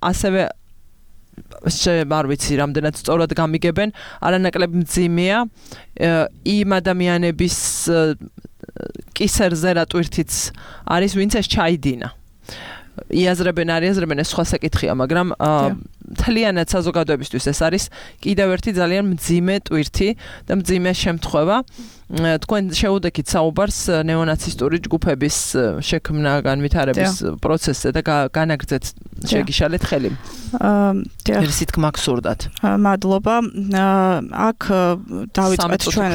ასევე არ ვიცი რამდენად სწორად გამიგებენ, არანაკლებ მძიმეა იმ ადამიანების კისერზე რა ტვირთიც არის, ვინც ეს ჩაიდინა. იაზრებენ ეს სხვა საკითხია, მაგრამ მთლიანად საზოგადოებისთვის ეს არის კიდევ ერთი ძალიან მძიმე ტვირთი და მძიმე შემთხვევა. თქვენ შეუდექით საუბარს ნეონაცისტური ჯგუფების შექმნა განვითარების პროცესზე და განაგრძეთ შეგიშალეთ ხელი. ერთი თქმა გსურდათ. მადლობა. აქ დავიწყეთ ჩვენ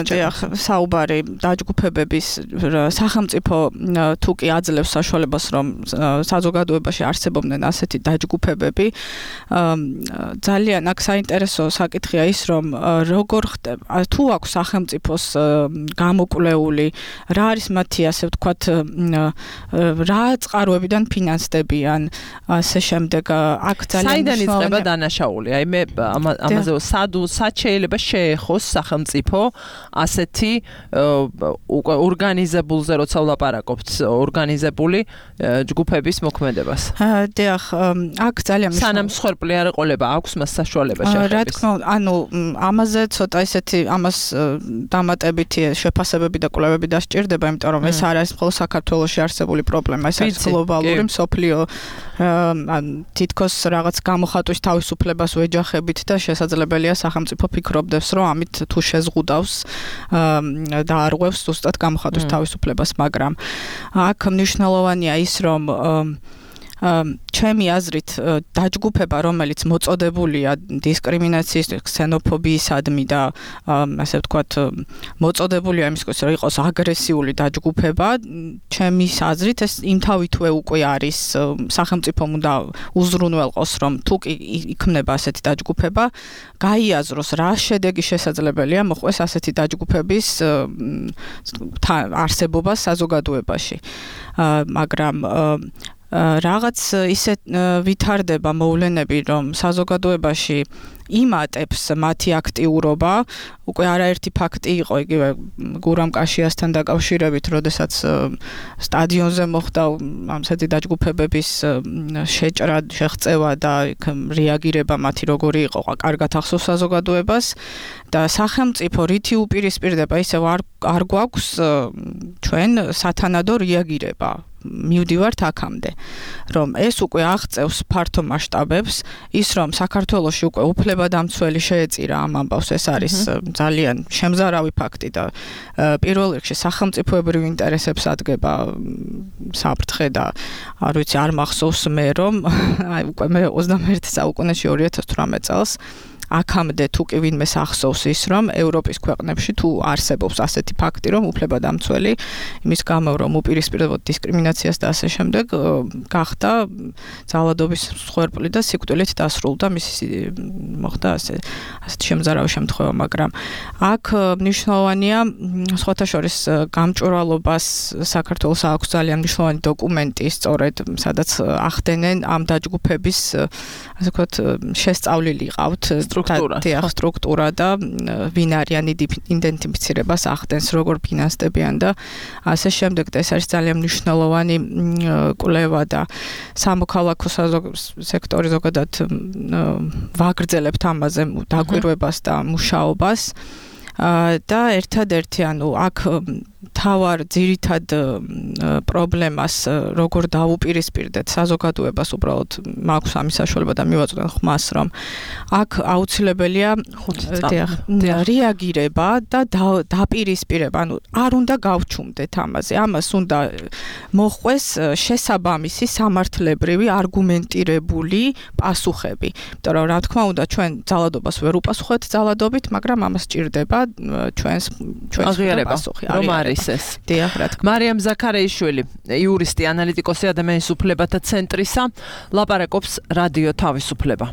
საუბარი დაჯგუფებების სახელმწიფო თუ კი აძლევს საშუალებას, რომ საზოგადოებაში არსებობდნენ ასეთი დაჯგუფებები. ძალიან აქ საინტერესო საკითხია ის, რომ როგორ ხდება, თუ აქვს სახელმწიფოს გამოკვლეული, რა არის მათი ასე ვთქვათ, რა წყაროებიდან ფინანსდებიან, ასე შემდეგ, აქ ძალიან საიდან იწყება დანაშაული? აი მე ამაზე სად შეიძლება შეეხოს სახელმწიფო ასეთი ორგანიზებულზე, როცა ვლაპარაკობთ, ორგანიზებული ჯგუფების მოქმედებას. დიახ, აქ ძალიან სანამ მსხვერპლი არ ეყოლება, აქვს მას საშუალება შეხების. რა თქმა უნდა, ანუ ამაზე ცოტა ისეთი ამას დამატებითი შეფასებები და კვლევები დასჭირდება, იმიტომ რომ ეს არ არის მხოლოდ საქართველოში არსებული პრობლემა, ეს არის გლობალური მსოფლიო თითქოს რაღაც გამოხატვის თავისუფლებას ვეჯახებით და შესაძლებელია სახელმწიფო ფიქრობდეს, რომ ამით თუ შეზღუდავს და არღვევს ზუსტად გამოხატვის თავისუფლებას, მაგრამ აქ მნიშვნელოვანია ის, რომ ჩემი აზრით დაჯგუფება, რომელიც მოწოდებულია დისკრიმინაციის, ქსენოფობიისადმი და ასე ვთქვათ, მოწოდებულია იმისთვის, რომ იყოს აგრესიული დაჯგუფება, ჩემი აზრით ეს იმთავითვე უკვე არის სახელმწიფომ უნდა უზრუნველყოს, რომ თუ კი იქმნება ასეთი დაჯგუფება, გაიაზროს რა შედეგი შესაძლებელია მოხდეს ასეთი დაჯგუფების არსებობა საზოგადოებაში. მაგრამ რაღაც ისე ვითარდება მოვლენები, რომ საზოგადოებაში იმატებს მათი აქტიურობა, უკვე არაერთი ფაქტი იყო იგივე გურამ კაშიასთან დაკავშირებით, როდესაც სტადიონზე მოხდა ამსეთი დაჯგუფებების შეჭრა, შეღწევა და რეაგირება მათი როგორი იყო, კარგად ახსოვს საზოგადოებას და სახელმწიფო რითი უპირისპირდება, ისევ არ გვაქვს ჩვენ სათანადო რეაგირება. მივდივართ აქამდე, რომ ეს უკვე აღწევს ფართო მასშტაბებს, ის რომ საქართველოში უკვე უფლებადამცველი შეეწირა ამ ამბავს, ეს არის ძალიან შემზარავი ფაქტი და პირველ რიგში სახელმწიფოებრივ ინტერესებს ადგება საფრთხე და არ ვიცი, არ მახსოვს მე რომ უკვე მე 21 საუკუნეში 2018 წელს აქამდე თუ კი ვინმეს ახსოვს ის, რომ ევროპის ქვეყნებში თუ არსებობს ასეთი ფაქტი, რომ უფლებადამცველი იმის გამო, რომ უპირისპირდებოდა დისკრიმინაციას და ასე შემდეგ, გახდა ძალადობის მსხვერპლი და სიკვდილით დასრულდა, მოხდა ასეთი შემზარავი შემთხვევა, მაგრამ აქ მნიშვნელოვანია სხვათა შორის გამჭვირვალობას საქართველოს აქვს ძალიან მნიშვნელოვანი დოკუმენტი, სწორედ სადაც ახდენენ ამ დაჯგუფების ასე ვთქვათ შესწავლილი ყავთ სტრუქტურა და ვინ არიან იდენტიფიცირებას ახდენს, როგორ ფინანსდებიან და ასე შემდეგ. ეს არის ძალიან მნიშვნელოვანი კვლევა და სამოქალაქო სექტორი ზოგადად ვაგრძელებთ ამაზე დაკვირვებას და მუშაობას და ერთადერთი აქ თავარ ძირითად პრობლემას როგორ დაუპირისპირდეთ საზოგადოებას უბრალოდ მაქვს ამის საშუალება და მივაწვდენ ხმას რომ აქ აუცილებელია რეაგირება და დაპირისპირება არ უნდა გავჩუმდეთ ამაზე ამას უნდა მოხვეს შესაბამისი სამართლებრივი არგუმენტირებული პასუხები იმიტომ რომ რა თქმა უნდა ჩვენ ძალადობას ვერ უპასუხებთ ძალადობით მაგრამ ამას ჭირდება ჩვენს პასუხი მარიამ ზაქარეიშვილი, იურისტი, ანალიტიკოსი ადამიანის უფლებათა ცენტრისა, ლაპარაკობს რადიო თავისუფლება.